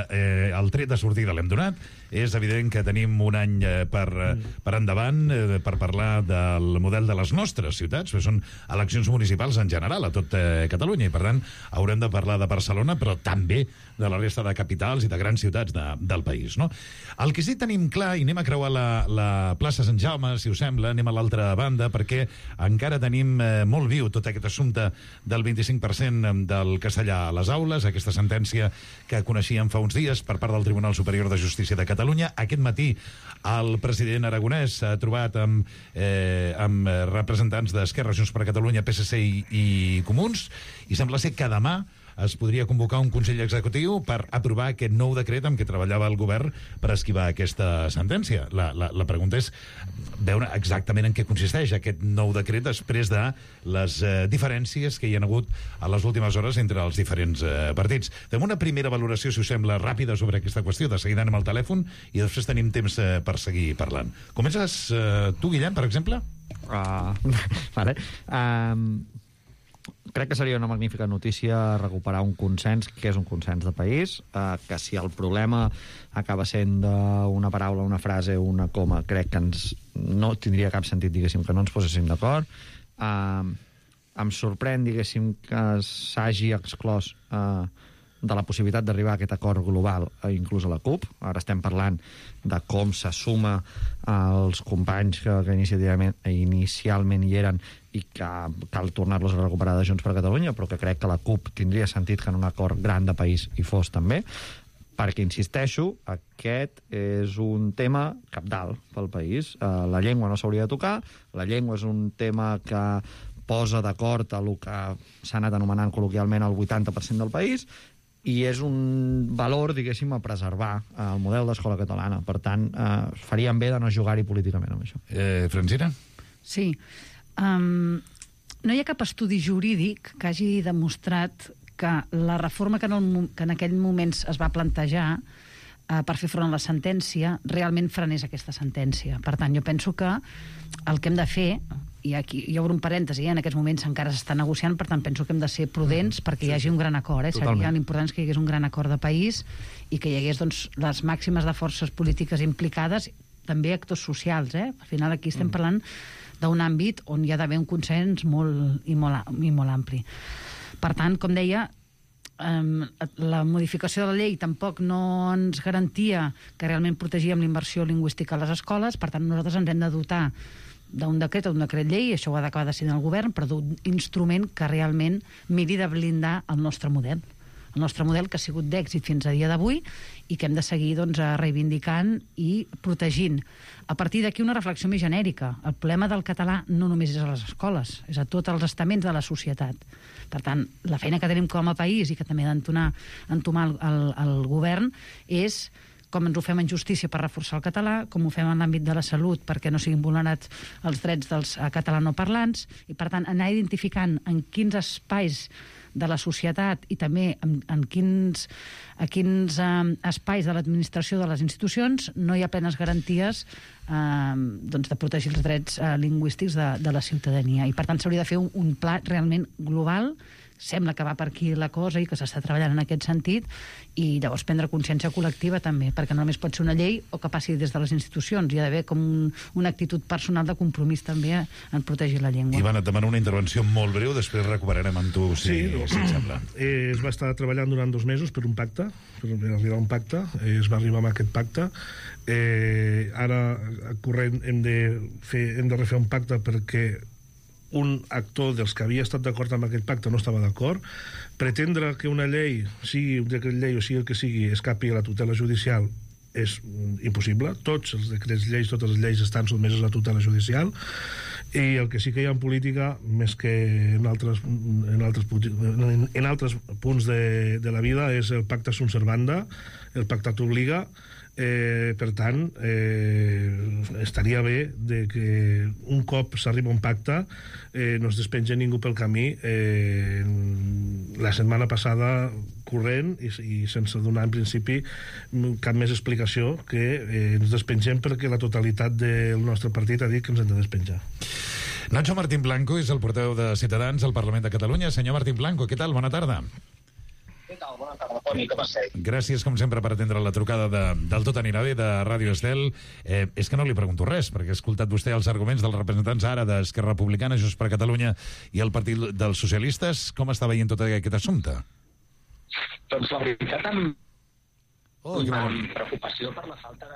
el tret de sortida l'hem donat, és evident que tenim un any per endavant per parlar del model de les nostres ciutats, que són eleccions municipals en general a tot Catalunya, i per tant haurem de parlar de Barcelona, però també de la resta de capitals i de grans ciutats del país, no? El que sí tenim clar, i anem a creuar la plaça Sant Jaume, si us sembla, anem a l'altra banda, perquè encara tenim molt viu tot aquest assumpte del 25% del castellà a les aules, aquesta sentència que coneixíem fa uns dies per part del Tribunal Superior de Justícia de Catalunya. Aquest matí el president aragonès s'ha trobat amb representants d'Esquerra, Junts per Catalunya, PSC i Comuns, i sembla ser que demà es podria convocar un Consell Executiu per aprovar aquest nou decret amb què treballava el govern per esquivar aquesta sentència. La pregunta és veure exactament en què consisteix aquest nou decret després de les diferències que hi ha hagut a les últimes hores entre els diferents partits. Fem una primera valoració, si us sembla, ràpida sobre aquesta qüestió. De seguida anem al telèfon i després tenim temps per seguir parlant. Comences tu, Guillem, per exemple? Vale. Crec que seria una magnífica notícia recuperar un consens, que és un consens de país, que si el problema acaba sent una paraula, una frase o una coma, crec que no tindria cap sentit, diguéssim, que no ens poséssim d'acord. Em sorprèn, diguéssim, que s'hagi exclòs de la possibilitat d'arribar a aquest acord global, inclús a la CUP. Ara estem parlant de com se suma als companys que inicialment hi eren i que cal tornar-los a recuperar de Junts per Catalunya, però que crec que la CUP tindria sentit que en un acord gran de país hi fos també, perquè, insisteixo, aquest és un tema cabdal pel país. La llengua no s'hauria de tocar, la llengua és un tema que posa d'acord a el que s'ha anat anomenant col·loquialment el 80% del país, i és un valor, diguéssim, a preservar el model d'escola catalana. Per tant, faríem bé de no jugar-hi políticament amb això. Francina? Sí. No hi ha cap estudi jurídic que hagi demostrat que la reforma que en aquell moment es va plantejar per fer front a la sentència, realment frenés aquesta sentència. Per tant, jo penso que el que hem de fer, i aquí hi obro un parèntesi, en aquests moments encara s'està negociant, per tant penso que hem de ser prudents perquè hi hagi un gran acord. Seria l'important que hi hagués un gran acord de país i que hi hagués les màximes de forces polítiques implicades, també actors socials. Al final aquí estem parlant d'un àmbit on hi ha d'haver un consens molt ampli. Per tant, com deia, la modificació de la llei tampoc no ens garantia que realment protegíem la immersió lingüística a les escoles, per tant nosaltres ens hem de dotar d'un decret o d'un decret llei, això ho ha d'acabar decidint el govern, però d'un instrument que realment miri de blindar el nostre model. El nostre model que ha sigut d'èxit fins a dia d'avui i que hem de seguir reivindicant i protegint. A partir d'aquí una reflexió més genèrica. El problema del català no només és a les escoles, és a tots els estaments de la societat. Per tant, la feina que tenim com a país i que també ha d'entomar el govern és com ens ho fem en justícia per reforçar el català, com ho fem en l'àmbit de la salut perquè no siguin vulnerats els drets dels catalanoparlants, i per tant anar identificant en quins espais de la societat i també en quins espais de l'administració de les institucions no hi ha plenes garanties de protegir els drets lingüístics de la ciutadania. I per tant s'hauria de fer un pla realment global. Sembla que va per aquí la cosa i que s'està treballant en aquest sentit, i llavors prendre consciència col·lectiva també, perquè no només pot ser una llei o que passi des de les institucions, hi ha d'haver com una actitud personal de compromís també en protegir la llengua. Ivan, et demano una intervenció molt breu, després recuperarem amb tu, si et sembla. Es va estar treballant durant 2 mesos per un pacte, per arribar a un pacte, es va arribar a aquest pacte. Ara, corrent, hem de refer un pacte perquè un actor dels que havia estat d'acord amb aquest pacte no estava d'acord. Pretendre que una llei, sigui un decret llei o sigui el que sigui, escapi a la tutela judicial és impossible. Tots els decrets lleis, totes les lleis estan sotmeses a la tutela judicial, i el que sí que hi ha en política, més que en altres punts de la vida, és el pacta sunt servanda, el pacta t'obliga. Per tant, estaria bé de que un cop s'arriba a un pacte no es despenja ningú pel camí. La setmana passada, corrent i sense donar en principi cap més explicació, que ens despengem perquè la totalitat del nostre partit ha dit que ens hem de despenjar. Nacho Martín Blanco és el portaveu de Ciutadans al Parlament de Catalunya. Senyor Martín Blanco, què tal? Bona tarda. Què tal? Bona tarda, Toni, com esteu? Gràcies, com sempre, per atendre la trucada del Tot anirà bé, de Ràdio Estel. És que no li pregunto res, perquè he escoltat vostè els arguments dels representants ara d'Esquerra Republicana, Junts per Catalunya i el Partit dels Socialistes. Com està veient tot aquest assumpte? Doncs la veritat, amb preocupació per la falta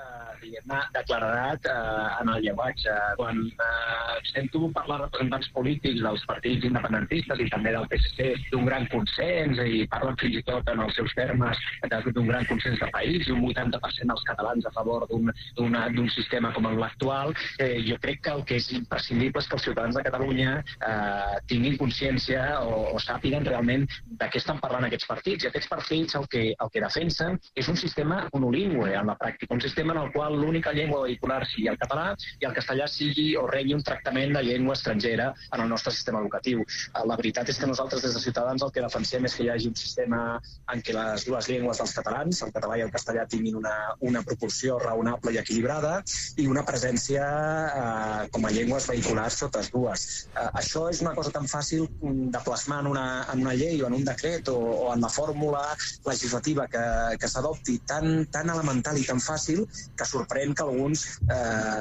de claredat en el llenguatge. Quan sento parlar representants polítics dels partits independentistes i també del PSC d'un gran consens, i parlen fins i tot en els seus termes d'un gran consens de país i un 80% dels catalans a favor d'un sistema com l'actual, jo crec que el que és imprescindible és que els ciutadans de Catalunya tinguin consciència o sàpiguen realment de què estan parlant aquests partits. I aquests partits el que defensen és un sistema monolingüe en la pràctica, un sistema en el qual l'única llengua vehicular sigui el català i el castellà sigui o rebi un tractament de llengua estrangera en el nostre sistema educatiu. La veritat és que nosaltres des de Ciutadans el que defensem és que hi hagi un sistema en què les dues llengües dels catalans, el català i el castellà, tinguin una proporció raonable i equilibrada i una presència com a llengües vehiculars totes dues. Això és una cosa tan fàcil de plasmar en una llei o en un decret o en la fórmula legislativa que s'adopti, tan elemental i tan fàcil, que sorprèn que alguns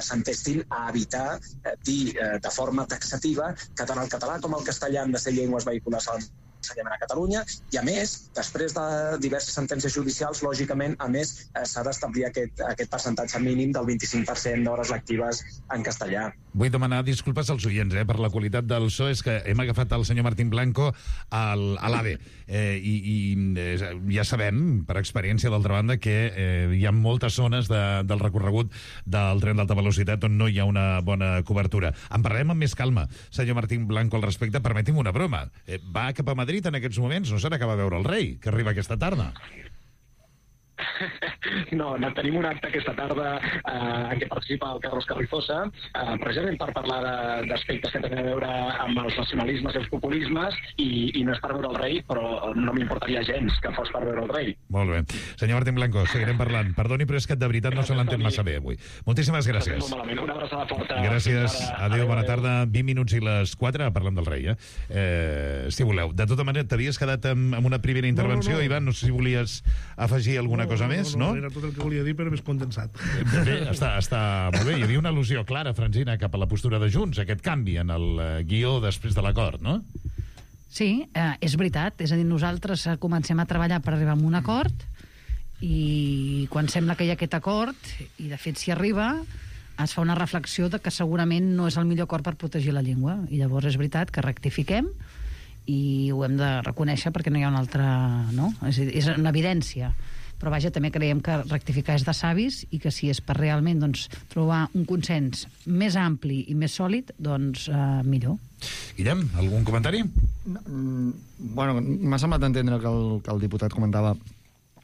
s'entestin a evitar dir de forma taxativa que tant el català com el castellà han de ser llengües vehiculars a l'ensenyament a Catalunya, i a més, després de diverses sentències judicials, lògicament, a més, s'ha d'establir aquest percentatge mínim del 25% d'hores lectives en castellà. Vull demanar disculpes als oients per la qualitat del so, és que hem agafat el senyor Martín Blanco a l'AVE, i ja sabem, per experiència d'altra banda, que hi ha moltes zones del recorregut del tren d'alta velocitat on no hi ha una bona cobertura. En parlarem amb més calma, senyor Martín Blanco, al respecte. Permeti'm una broma. Va cap a Madrid en aquests moments? No serà que va veure el rei, que arriba aquesta tarda? No, tenim un acte aquesta tarda en què participa el Carlos Carrizosa, precisament per parlar d'aspectes que tenen a veure amb els nacionalismes i els populismes, i no és per veure el rei, però no m'importaria gens que fos per veure el rei. Molt bé. Senyor Martín Blanco, seguirem parlant. Perdoni, però és que de veritat no se l'entén massa bé avui. Moltíssimes gràcies. Una abraçada forta. Gràcies. Adéu, bona tarda. 20 minuts i les 4, parlem del rei, si voleu. De tota manera, t'havies quedat amb una primera intervenció, no. Ivan, no sé si volies afegir alguna cosa més, no? Era tot el que volia dir, però més condensat. Bé, està molt bé. Hi havia una al·lusió clara, Francina, cap a la postura de Junts, aquest canvi en el guió després de l'acord, no? Sí, és veritat. És a dir, nosaltres comencem a treballar per arribar a un acord i quan sembla que hi ha aquest acord, i de fet s'hi arriba, es fa una reflexió de que segurament no és el millor acord per protegir la llengua. I llavors és veritat que rectifiquem i ho hem de reconèixer perquè no hi ha una altra... No? És una evidència. Però vaja, també creiem que rectificar és de savis i que si és per realment doncs, trobar un consens més ampli i més sòlid, doncs millor. Guillem, algun comentari? Bueno, m'ha semblat entendre que el diputat comentava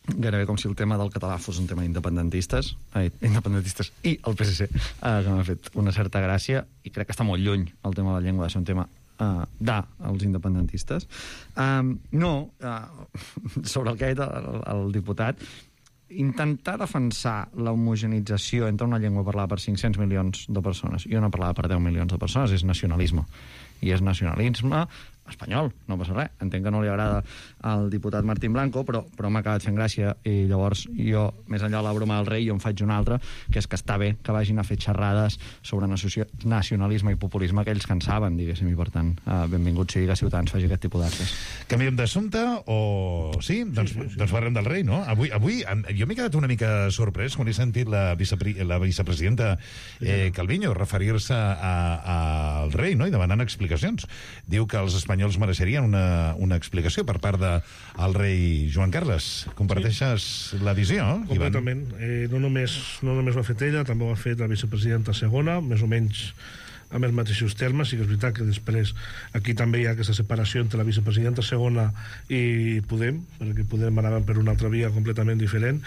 gairebé com si el tema del català fos un tema independentistes i el PSC, que m'ha fet una certa gràcia, i crec que està molt lluny el tema de la llengua de ser un tema dels independentistes. Sobre el que ha dit el diputat, intentar defensar l'homogenització entre una llengua parlada per 500 milions de persones i una parlada per 10 milions de persones és nacionalisme. I és nacionalisme espanyol, no passa res. Entenc que no li agrada al diputat Martín Blanco, però m'ha acabat fent gràcia, i llavors jo, més enllà de la broma del rei, jo en faig una altra, que és que està bé que vagin a fer xerrades sobre nacionalisme i populisme aquells que en saben, diguéssim, i per tant, benvingut sigui que Ciutadans faci aquest tipus d'actes. Canviem d'assumpte o... Sí? Doncs parlem del rei, no? Avui jo m'he quedat una mica sorprès quan he sentit la vicepresidenta Calviño referir-se al rei, no? I demanant explicacions. Diu que els espanyols mereixerien una explicació per part del rei Joan Carles. Comparteixes la visió, Completament. No només ho ha fet ella, també ho ha fet la vicepresidenta segona, més o menys amb els mateixos termes. Sí que és veritat que després aquí també hi ha aquesta separació entre la vicepresidenta segona i Podem, perquè Podem anava per una altra via completament diferent,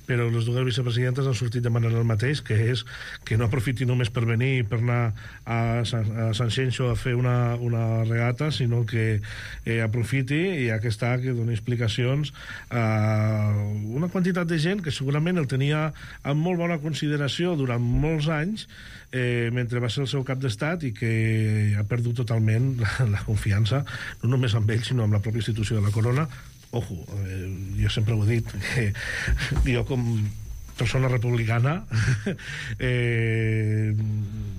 però les dues vicepresidentes han sortit demanant el mateix, que és que no aprofiti només per venir per anar a Sant Xenxo a fer una regata, sinó que aprofiti, i ja que està, que doni explicacions a una quantitat de gent que segurament el tenia amb molt bona consideració durant molts anys, mentre va ser el seu cap d'estat, i que ha perdut totalment la confiança, no només amb ell, sinó amb la pròpia institució de la corona. Ojo, jo sempre ho he dit, que jo com persona republicana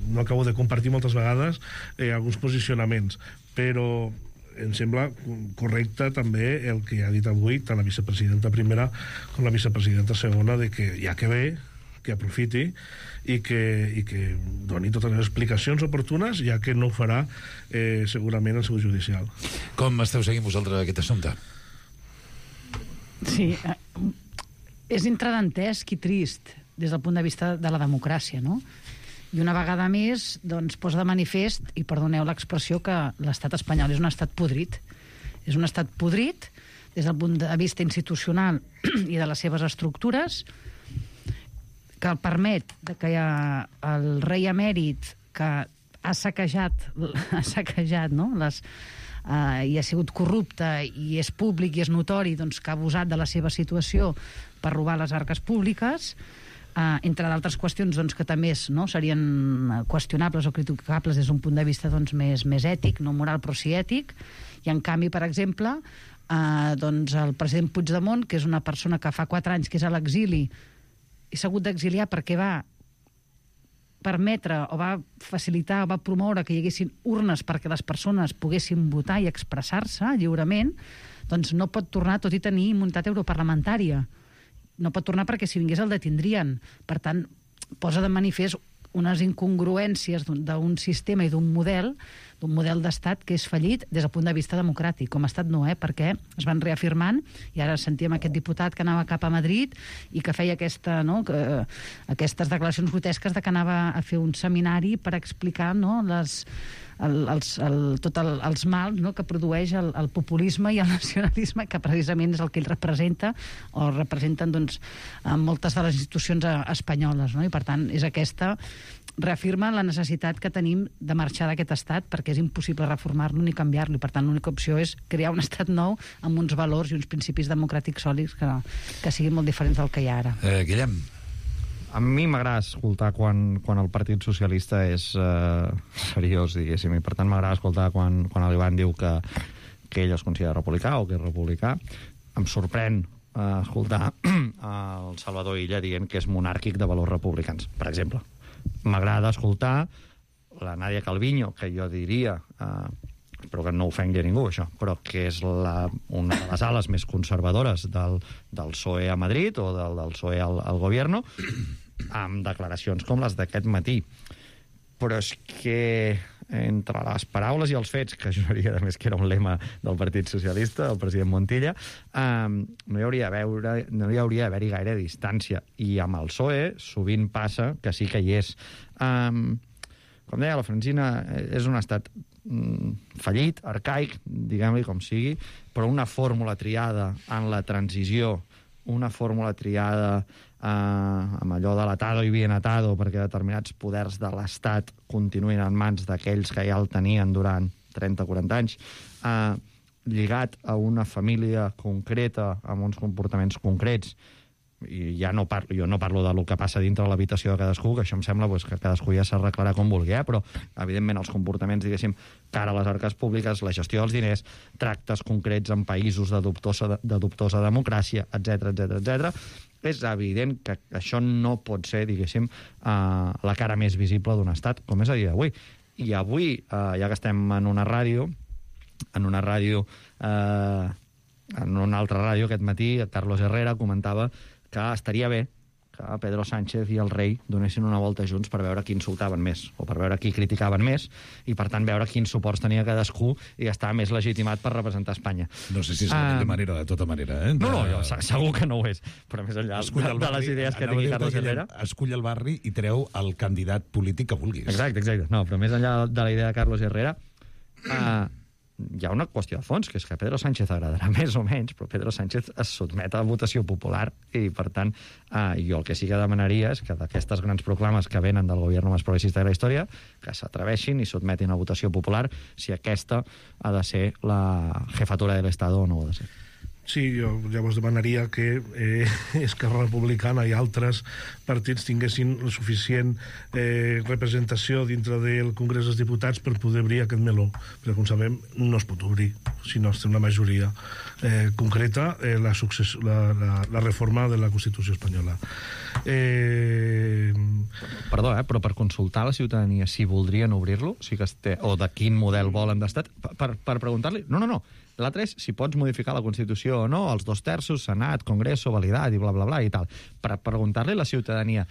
no acabo de compartir moltes vegades alguns posicionaments, però em sembla correcte també el que ha dit avui tant la vicepresidenta primera com la vicepresidenta segona, de que ja que ve, que aprofiti i que doni totes les explicacions oportunes, ja que no ho farà segurament el seu judicial. Com esteu seguint vosaltres aquest assumpte? Sí, és entredantesc i trist des del punt de vista de la democràcia, no? I una vegada més doncs, posa de manifest, i perdoneu l'expressió, que l'estat espanyol és un estat podrit. És un estat podrit des del punt de vista institucional i de les seves estructures, que el permet que hi ha el rei emèrit que ha saquejat no? I ha sigut corrupte, i és públic i és notori doncs, que ha abusat de la seva situació per robar les arques públiques, entre d'altres qüestions doncs, que també serien qüestionables o criticables des d'un punt de vista doncs, més ètic, no moral però sí ètic. I en canvi, per exemple, doncs, el president Puigdemont, que és una persona que fa 4 anys que és a l'exili i s'ha hagut d'exiliar perquè va permetre o va facilitar o va promoure que hi haguessin urnes perquè les persones poguessin votar i expressar-se lliurement, doncs no pot tornar, tot i tenir immunitat europarlamentària. No pot tornar perquè si vingués el detindrien. Per tant, posa de manifest unes incongruències d'un sistema i d'un model d'un model d'estat que és fallit des del punt de vista democràtic. Com a estat no, perquè es van reafirmant, i ara sentíem aquest diputat que anava cap a Madrid i que feia aquestes declaracions grotesques de que anava a fer un seminari per explicar els mals que produeix el populisme i el nacionalisme, que precisament és el que ell representa, o representen moltes de les institucions espanyoles, i per tant és aquesta, reafirma la necessitat que tenim de marxar d'aquest estat, perquè és impossible reformar-lo ni canviar-lo, i per tant l'única opció és crear un estat nou amb uns valors i uns principis democràtics sòlids que siguin molt diferents del que hi ha ara. Guillem. A mi m'agrada escoltar quan el Partit Socialista és seriós, diguéssim, i per tant m'agrada escoltar quan l'Ivan diu que ell es considera republicà o que és republicà. Em sorprèn escoltar el Salvador Illa dient que és monàrquic de valors republicans, per exemple. M'agrada escoltar la Nadia Calviño, que jo diria, espero que no ofengui a ningú, això, però que és una de les ales més conservadores del PSOE a Madrid o del PSOE al gobierno, amb declaracions com les d'aquest matí. Però és que entre les paraules i els fets, que juraria a més que era un lema del Partit Socialista, del president Montilla, no hi hauria d'haver-hi gaire distància. I amb el PSOE sovint passa que sí que hi és. Com deia la Francina, és un estat fallit, arcaic, diguem-li com sigui, però una fórmula triada en la transició, una fórmula triada amb allò de l'atado i bien atado perquè determinats poders de l'Estat continuïn en mans d'aquells que ja el tenien durant 30-40 anys, lligat a una família concreta, amb uns comportaments concrets, i jo no parlo del que passa dintre l'habitació de cadascú, que això em sembla que cadascú ja s'arreglarà com vulgui, però evidentment els comportaments, diguéssim, cara a les arques públiques, la gestió dels diners, tractes concrets en països de dubtosa democràcia, etc. És evident que això no pot ser, diguéssim, la cara més visible d'un estat, com és a dia d'avui. I avui, ja que estem en una ràdio, en una altra ràdio aquest matí, Carlos Herrera comentava que estaria bé que Pedro Sánchez i el rei donessin una volta junts per veure qui insultaven més o per veure qui criticaven més i, per tant, veure quins suports tenia cadascú i estar més legitimat per representar Espanya. No sé si és la millor manera, de tota manera. No, segur que no ho és, però més enllà de les idees que tingui Carlos Herrera... Escull el barri i treu el candidat polític que vulguis. Exacte. No, però més enllà de la idea de Carlos Herrera... hi ha una qüestió de fons, que és que Pedro Sánchez agradarà més o menys, però Pedro Sánchez es sotmet a la votació popular i, per tant, jo el que sí que demanaria és que d'aquestes grans proclames que venen del govern més progressista de la història, que s'atreveixin i sotmetin a votació popular si aquesta ha de ser la jefatura de l'Estat o no ho ha de ser. Sí, jo llavors demanaria que Esquerra Republicana i altres partits tinguessin la suficient representació dintre del Congrés dels Diputats per poder obrir aquest meló, perquè com sabem no es pot obrir si no es té una majoria concreta la reforma de la Constitució espanyola. Perdó, però per consultar a la ciutadania si voldrien obrir-lo, o de quin model volen d'estat, per preguntar-li... No. L'altre és si pots modificar la Constitució o no, els 2/3, Senat, Congreso, validat i bla, bla, bla i tal. Per preguntar-li a la ciutadania...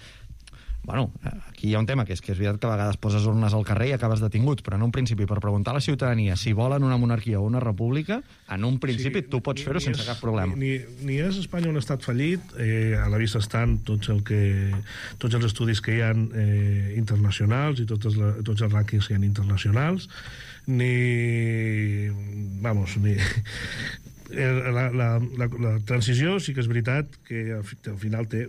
Bueno, aquí hi ha un tema, que és veritat que a vegades poses urnes al carrer i acabes detingut, però en un principi, per preguntar a la ciutadania si volen una monarquia o una república, en un principi tu pots fer-ho sense cap problema. Ni és Espanya un estat fallit, a la vista estan tots els estudis que hi ha internacionals i tots els rànquings que hi ha internacionals, la transició sí que és veritat que al final té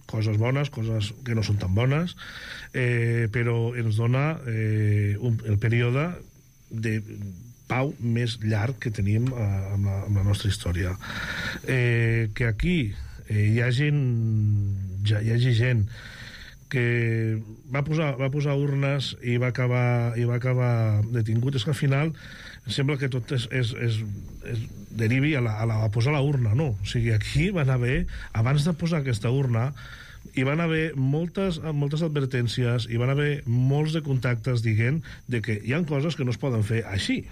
coses bones, coses que no són tan bones, però ens dona el període de pau més llarg que tenim amb la nostra història. Que aquí hi hagi gent que va posar urnes i va acabar detingut, és que al final sembla que tot derivi a posar la urna, no? O sigui, aquí van haver, abans de posar aquesta urna, hi van haver moltes advertències, hi van haver molts de contactes dient de que hi ha coses que no es poden fer així.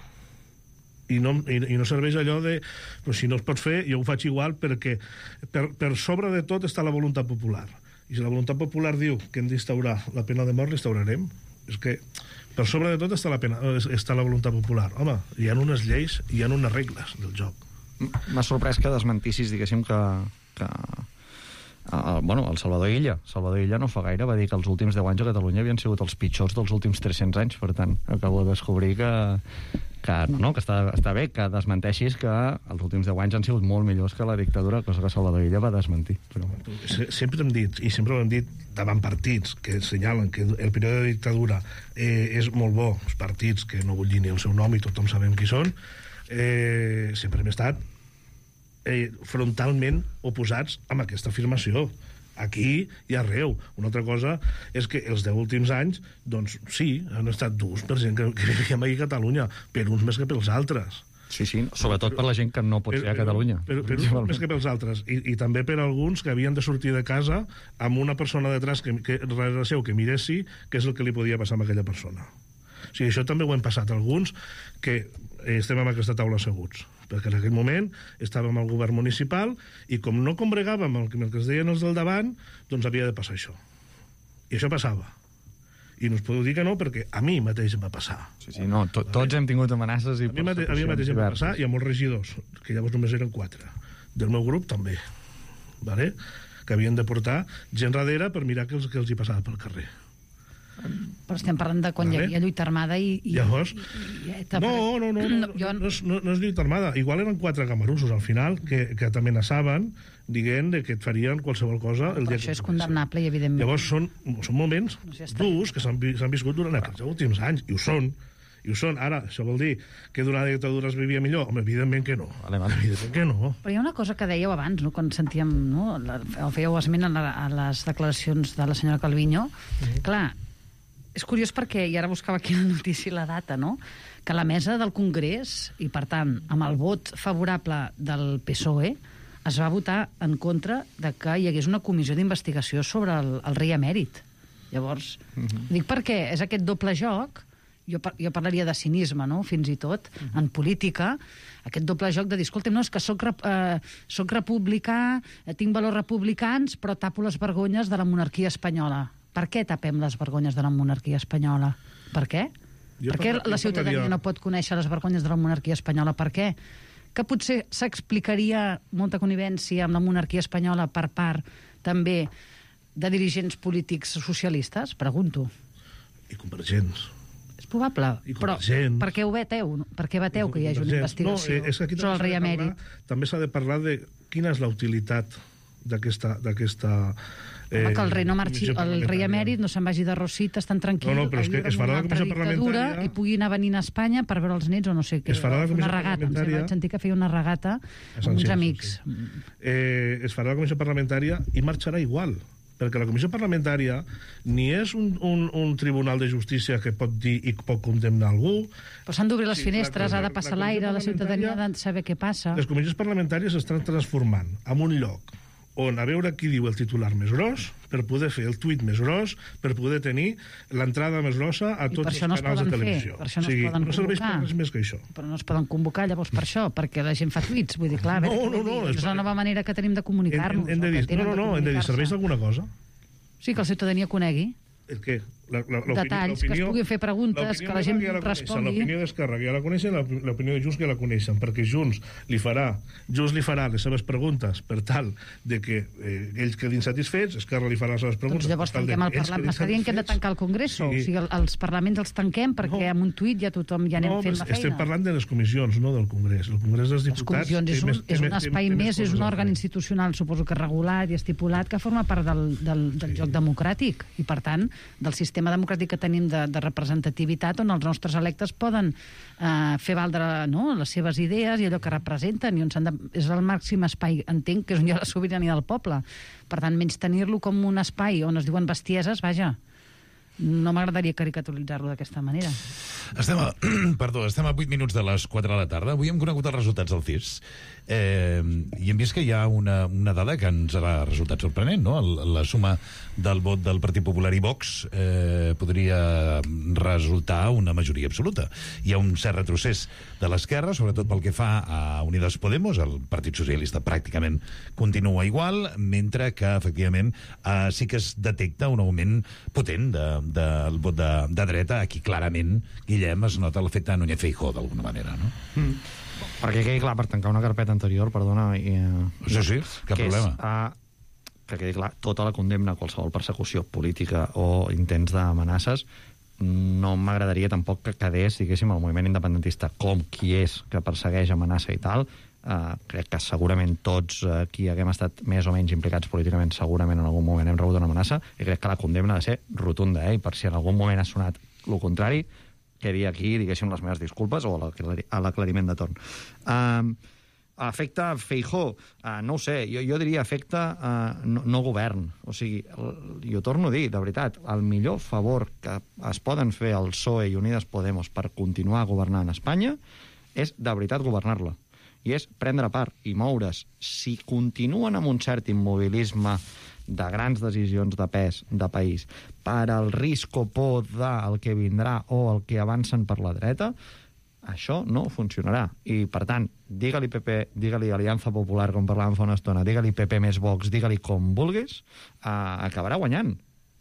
I no serveix allò de però si no es pot fer, jo ho faig igual perquè per sobre de tot està la voluntat popular. I si la voluntat popular diu que hem d'instaurar la pena de mort, l'instaurarem. És que per sobre de tot està la voluntat popular. Home, hi ha unes lleis, hi ha unes regles del joc. M'ha sorprès que desmentissis, diguéssim, que el Salvador Illa. Salvador Illa no fa gaire va dir que els últims 10 anys a Catalunya havien sigut els pitjors dels últims 300 anys. Per tant, acabo de descobrir que està bé que desmenteixis que els últims 10 anys han sigut molt millors que la dictadura, cosa que Salvador Illa va desmentir. Però... Sempre hem dit, i sempre ho hem dit davant partits que assenyalen que el període de dictadura és molt bo, els partits que no vull dir ni el seu nom i tothom sabem qui són, sempre hem estat frontalment oposats amb aquesta afirmació. Aquí i arreu. Una altra cosa és que els 10 últims anys, doncs sí, han estat durs per gent que vivim aquí a Catalunya, per uns més que pels altres. Sí, sobretot per la gent que no pot ser a Catalunya. Per uns més que pels altres. I també per alguns que havien de sortir de casa amb una persona detrás que darrere seu que miressi què és el que li podia passar a aquella persona. O sigui, això també ho hem passat alguns que estem en aquesta taula asseguts, perquè en aquell moment estàvem al govern municipal i com no combregàvem el que es deien els del davant, doncs havia de passar això. I això passava. I no us podeu dir que no, perquè a mi mateix em va passar. Tots hem tingut amenaces i... A mi mateix em va passar, i a molts regidors, que llavors només eren 4. Del meu grup també, vale? Que havien de portar gent darrere per mirar què els hi passava pel carrer. Però estem parlant de quan hi havia lluita armada i... Llavors... No és lluita armada. Igual eren 4 camarussos al final que t'amenaçaven dient que et farien qualsevol cosa el dia que... Això és condemnable i evidentment... Llavors són moments durs que s'han viscut durant aquests últims anys, i ho són. Ara, això vol dir que durant la dictadura es vivia millor? Home, evidentment que no. Evidentment que no. Però hi ha una cosa que dèieu abans, no? Quan sentíem, no? Fèieu esment a les declaracions de la senyora Calviño. Clar, és curiós perquè, i ara buscava aquí la notícia i la data, no? Que la mesa del Congrés, i per tant, amb el vot favorable del PSOE, es va votar en contra de que hi hagués una comissió d'investigació sobre el rei emèrit. Llavors, dic perquè és aquest doble joc, jo parlaria de cinisme, no?, fins i tot, en política, aquest doble joc de dir, escolta'm, no, és que soc republicà, tinc valors republicans, però tapo les vergonyes de la monarquia espanyola. Per què tapem les vergonyes de la monarquia espanyola? Per què? Per què la ciutadania no pot conèixer les vergonyes de la monarquia espanyola? Per què? Que potser s'explicaria molta connivència amb la monarquia espanyola per part també de dirigents polítics socialistes? Pregunto. I convergents. És probable, però per què ho veteu? Per què veteu que hi hagi una investigació sobre el rei emèrit? També s'ha de parlar de quina és la utilitat d'aquesta que el rei no marxi, el rei emèrit no se'n vagi de Rositas tan tranquil, però és que es farà la comissió parlamentària i pugui anar venint a Espanya per veure els nets o no sé què. Es farà la comissió parlamentària. Vaig sentir que feia una regata amb uns amics. Es farà la comissió parlamentària i marxarà igual, perquè la comissió parlamentària ni és un tribunal de justícia que pot dir i pot condemnar algú. Però s'han d'obrir les finestres, ha de passar l'aire, la ciutadania ha de saber què passa. Les comissions parlamentàries s'estan transformant en un lloc on a veure qui diu el titular més gros, per poder fer el tuit més gros, per poder tenir l'entrada més grossa a tots els canals de televisió. Per això no es poden convocar. No serveix per res més que això. Però no es poden convocar llavors per això, perquè la gent fa tuits. Vull dir, clar, és la nova manera que tenim de comunicar-nos. Hem de dir, serveix d'alguna cosa? Sí, que la ciutadania conegui. El què? Detalls, que es puguin fer preguntes, que la gent respongui. L'opinió d'Esquerra que ja la coneixen, l'opinió de Junts que la coneixen, perquè Junts li farà les seves preguntes per tal de que ells quedin satisfets, Esquerra li farà les seves preguntes. Doncs llavors tanquem el Parlament. M'està dient que hem de tancar el Congreso. O sigui, els parlaments els tanquem perquè amb un tuit ja tothom ja anem fent la feina. Estem parlant de les comissions, no del Congrés. El Congrés dels Diputats... Les comissions és un espai més, és un òrgan institucional, suposo que regulat i estipulat, que forma part del joc democràtic i, per tant, del sistema democràtic que tenim de representativitat on els nostres electes poden fer valdre les seves idees i allò que representen i on és el màxim espai, entenc, que és on hi ha la sobirania del poble. Per tant, menys tenir-lo com un espai on es diuen bestieses, vaja, no m'agradaria caricaturitzar-lo d'aquesta manera. Estem a 8 minuts de les 4 de la tarda. Avui hem conegut els resultats del CIS. I hem vist que hi ha una dada que ens ha resultat sorprenent, no? La suma del vot del Partit Popular i Vox podria resultar una majoria absoluta. Hi ha un cert retrocés de l'esquerra, sobretot pel que fa a Unidas Podemos. El Partit Socialista pràcticament continua igual, mentre que, efectivament, sí que es detecta un augment potent del vot de dreta. Aquí, clarament, Guillem, es nota l'efecte de Núñez Feijóo, d'alguna manera, no? Perquè quedi clar, per tancar una carpeta anterior, perdona... Sí, cap problema. Que quedi clar, tota la condemna a qualsevol persecució política o intents d'amenaces, no m'agradaria tampoc que quedés, diguéssim, el moviment independentista com qui és que persegueix, amenaça i tal. Crec que segurament tots qui haguem estat més o menys implicats políticament segurament en algun moment hem rebut una amenaça, i crec que la condemna ha de ser rotunda, i per si en algun moment ha sonat el contrari, quedi aquí, diguéssim, les meves disculpes o a l'aclariment de torn. Afecta Feijóo? No ho sé, jo diria afecta no govern. O sigui, jo torno a dir, de veritat, el millor favor que es poden fer el PSOE i Unidas Podemos per continuar governant Espanya és, de veritat, governar-la. I és prendre part i moure's. Si continuen amb un cert immobilisme de grans decisions de pes de país per al risc o por del que vindrà o el que avancen per la dreta, això no funcionarà. I, per tant, digue-li PP, digue-li Aliança Popular, com parlàvem fa una estona, digue-li PP més Vox, digue-li com vulguis, acabarà guanyant.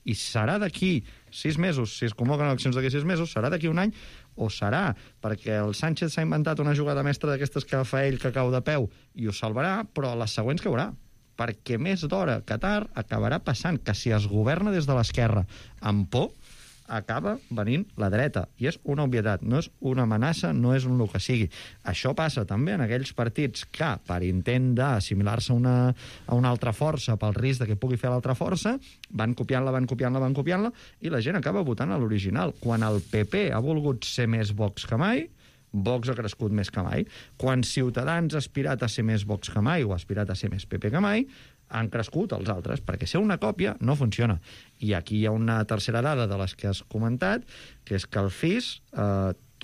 I serà d'aquí 6 mesos, si es convoquen eleccions d'aquí 6 mesos, serà d'aquí un any, o serà perquè el Sánchez s'ha inventat una jugada mestra d'aquestes que fa ell que cau de peu i ho salvarà, però les següents caurà. Perquè més d'hora que tard acabarà passant que si es governa des de l'esquerra amb por, acaba venint la dreta. I és una obvietat, no és una amenaça, no és un el que sigui. Això passa també en aquells partits que, per intent d'assimilar-se a una altra força, pel risc de que pugui fer l'altra força, van copiant-la, i la gent acaba votant a l'original. Quan el PP ha volgut ser més Vox que mai, Vox ha crescut més que mai. Quan Ciutadans ha aspirat a ser més Vox que mai o ha aspirat a ser més PP que mai, han crescut els altres, perquè ser una còpia no funciona. I aquí hi ha una tercera dada de les que has comentat, que és que el FIS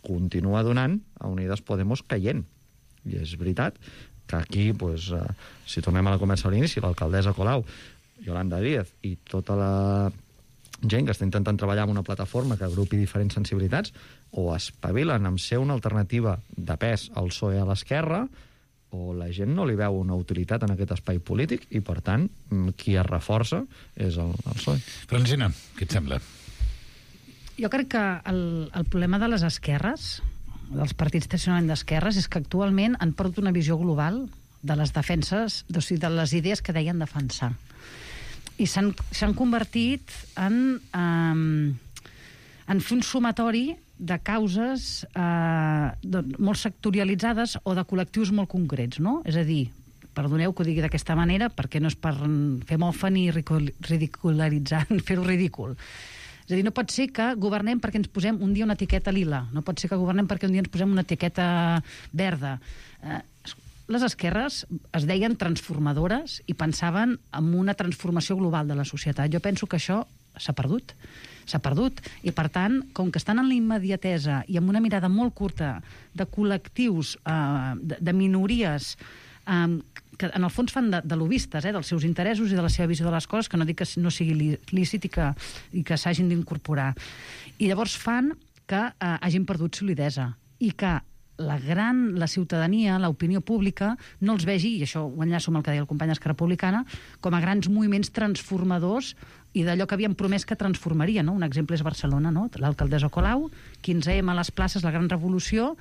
continua donant a Unidas Podemos caient. I és veritat que aquí, si tornem a la conversa a l'inici, l'alcaldessa Colau, Yolanda Díaz i tota la gent que està intentant treballar amb una plataforma que agrupi diferents sensibilitats, o espavilen amb ser una alternativa de pes al PSOE a l'esquerra, o la gent no li veu una utilitat en aquest espai polític i, per tant, qui es reforça és el PSOE. Francina, què et sembla? Jo crec que el problema de les esquerres, dels partits tradicionalment d'esquerres, és que actualment han perdut una visió global de les defenses, o sigui, de les idees que deien defensar. I s'han convertit en fer un sumatori de causes molt sectorialitzades o de col·lectius molt concrets, no? És a dir, perdoneu que ho digui d'aquesta manera, perquè no és per fer mofa ni ridicularitzar, fer-ho ridícul. És a dir, no pot ser que governem perquè ens posem un dia una etiqueta lila, no pot ser que governem perquè un dia ens posem una etiqueta verda. Les esquerres es deien transformadores i pensaven en una transformació global de la societat. Jo penso que això s'ha perdut. I, per tant, com que estan en la immediatesa i amb una mirada molt curta de col·lectius, de minories, que en el fons fan de lobistes, dels seus interessos i de la seva visió de les coses, que no dic que no sigui lícit i que s'hagin d'incorporar. I llavors fan que hagin perdut solidesa i que la ciutadania, l'opinió pública, no els vegi, i això ho enllaço amb el que deia el company d'Esquerra Republicana, com a grans moviments transformadors i d'allò que havien promès que transformaria, no? Un exemple és Barcelona, no? L'alcaldessa Colau, 15M a les places, la gran revolució,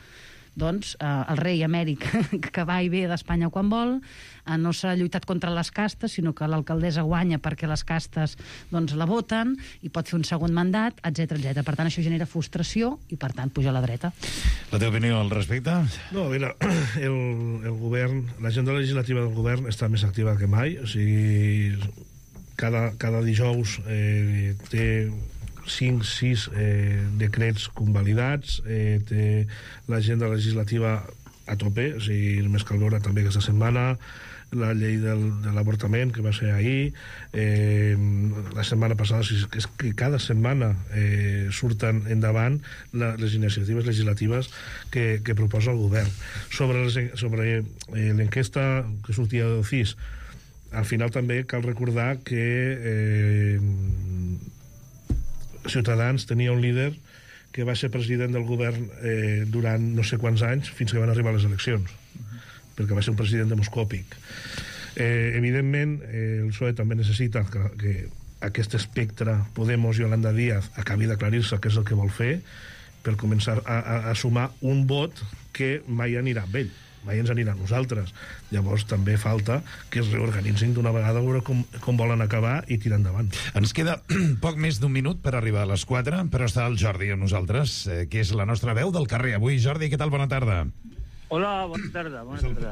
doncs el rei emèric que va i ve d'Espanya quan vol, no s'ha lluitat contra les castes, sinó que l'alcaldessa guanya perquè les castes doncs la voten i pot fer un segon mandat, etc. Per tant, això genera frustració i, per tant, puja a la dreta. La teva opinió al respecte? No, mira, el govern, l'agenda legislativa del govern està més activa que mai, o sigui, cada dijous té 5-6 decrets convalidats, té l'agenda legislativa a tope, o sigui, només cal veure també aquesta setmana la llei de l'avortament, que va ser ahir, la setmana passada, és que cada setmana surten endavant les iniciatives legislatives que proposa el govern. Sobre l'enquesta que sortia del CIS, al final també cal recordar que Ciutadans tenia un líder que va ser president del govern durant no sé quants anys, fins que van arribar les eleccions, perquè va ser un president demoscòpic. Evidentment, el PSOE també necessita que aquest espectre Podemos i Yolanda Díaz acabi d'aclarir-se què és el que vol fer per començar a sumar un vot que mai anirà amb ell, mai ens anirà a nosaltres. Llavors també falta que es reorganitzin d'una vegada, a veure com volen acabar i tirar endavant. Ens queda poc més d'un minut per arribar a les 4, però està el Jordi amb nosaltres, que és la nostra veu del carrer. Avui, Jordi, què tal? Bona tarda. Hola, bona tarda.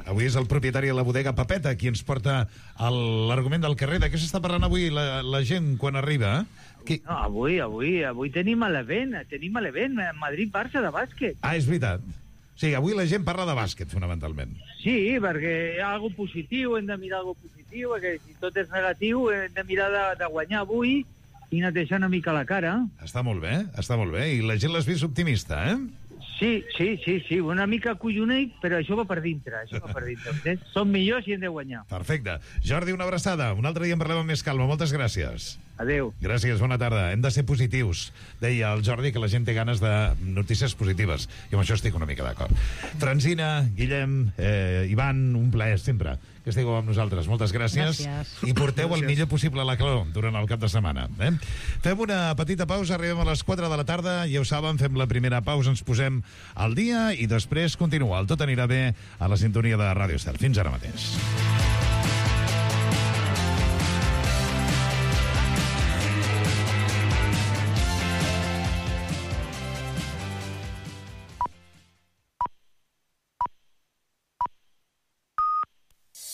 Avui és el propietari de la bodega Papeta qui ens porta l'argument del carrer. De què s'està parlant avui la gent quan arriba? No, avui tenim l'event, Madrid-Barça de bàsquet. Ah, és veritat. Sí, avui la gent parla de bàsquet, fonamentalment. Sí, perquè hi ha alguna positiu, hem de mirar alguna positiu, perquè si tot és negatiu hem de mirar de guanyar avui i netejar una mica la cara. Està molt bé. I la gent l'has vist optimista, eh? Sí, una mica collonit, però això va per dintre. Som millors i hem de guanyar. Perfecte. Jordi, una abraçada. Un altre dia en parlem amb més calma. Moltes gràcies. Adéu. Gràcies, bona tarda. Hem de ser positius. Deia el Jordi que la gent té ganes de notícies positives. I amb això estic una mica d'acord. Francina, Guillem, Ivan, un plaer sempre que estigueu amb nosaltres. Moltes gràcies. I porteu el millor possible a la calor durant el cap de setmana. Fem una petita pausa, arribem a les 4 de la tarda, ja ho saben, fem la primera pausa, ens posem al dia i després continua. El Tot anirà bé a la sintonia de Ràdio Estel. Fins ara mateix.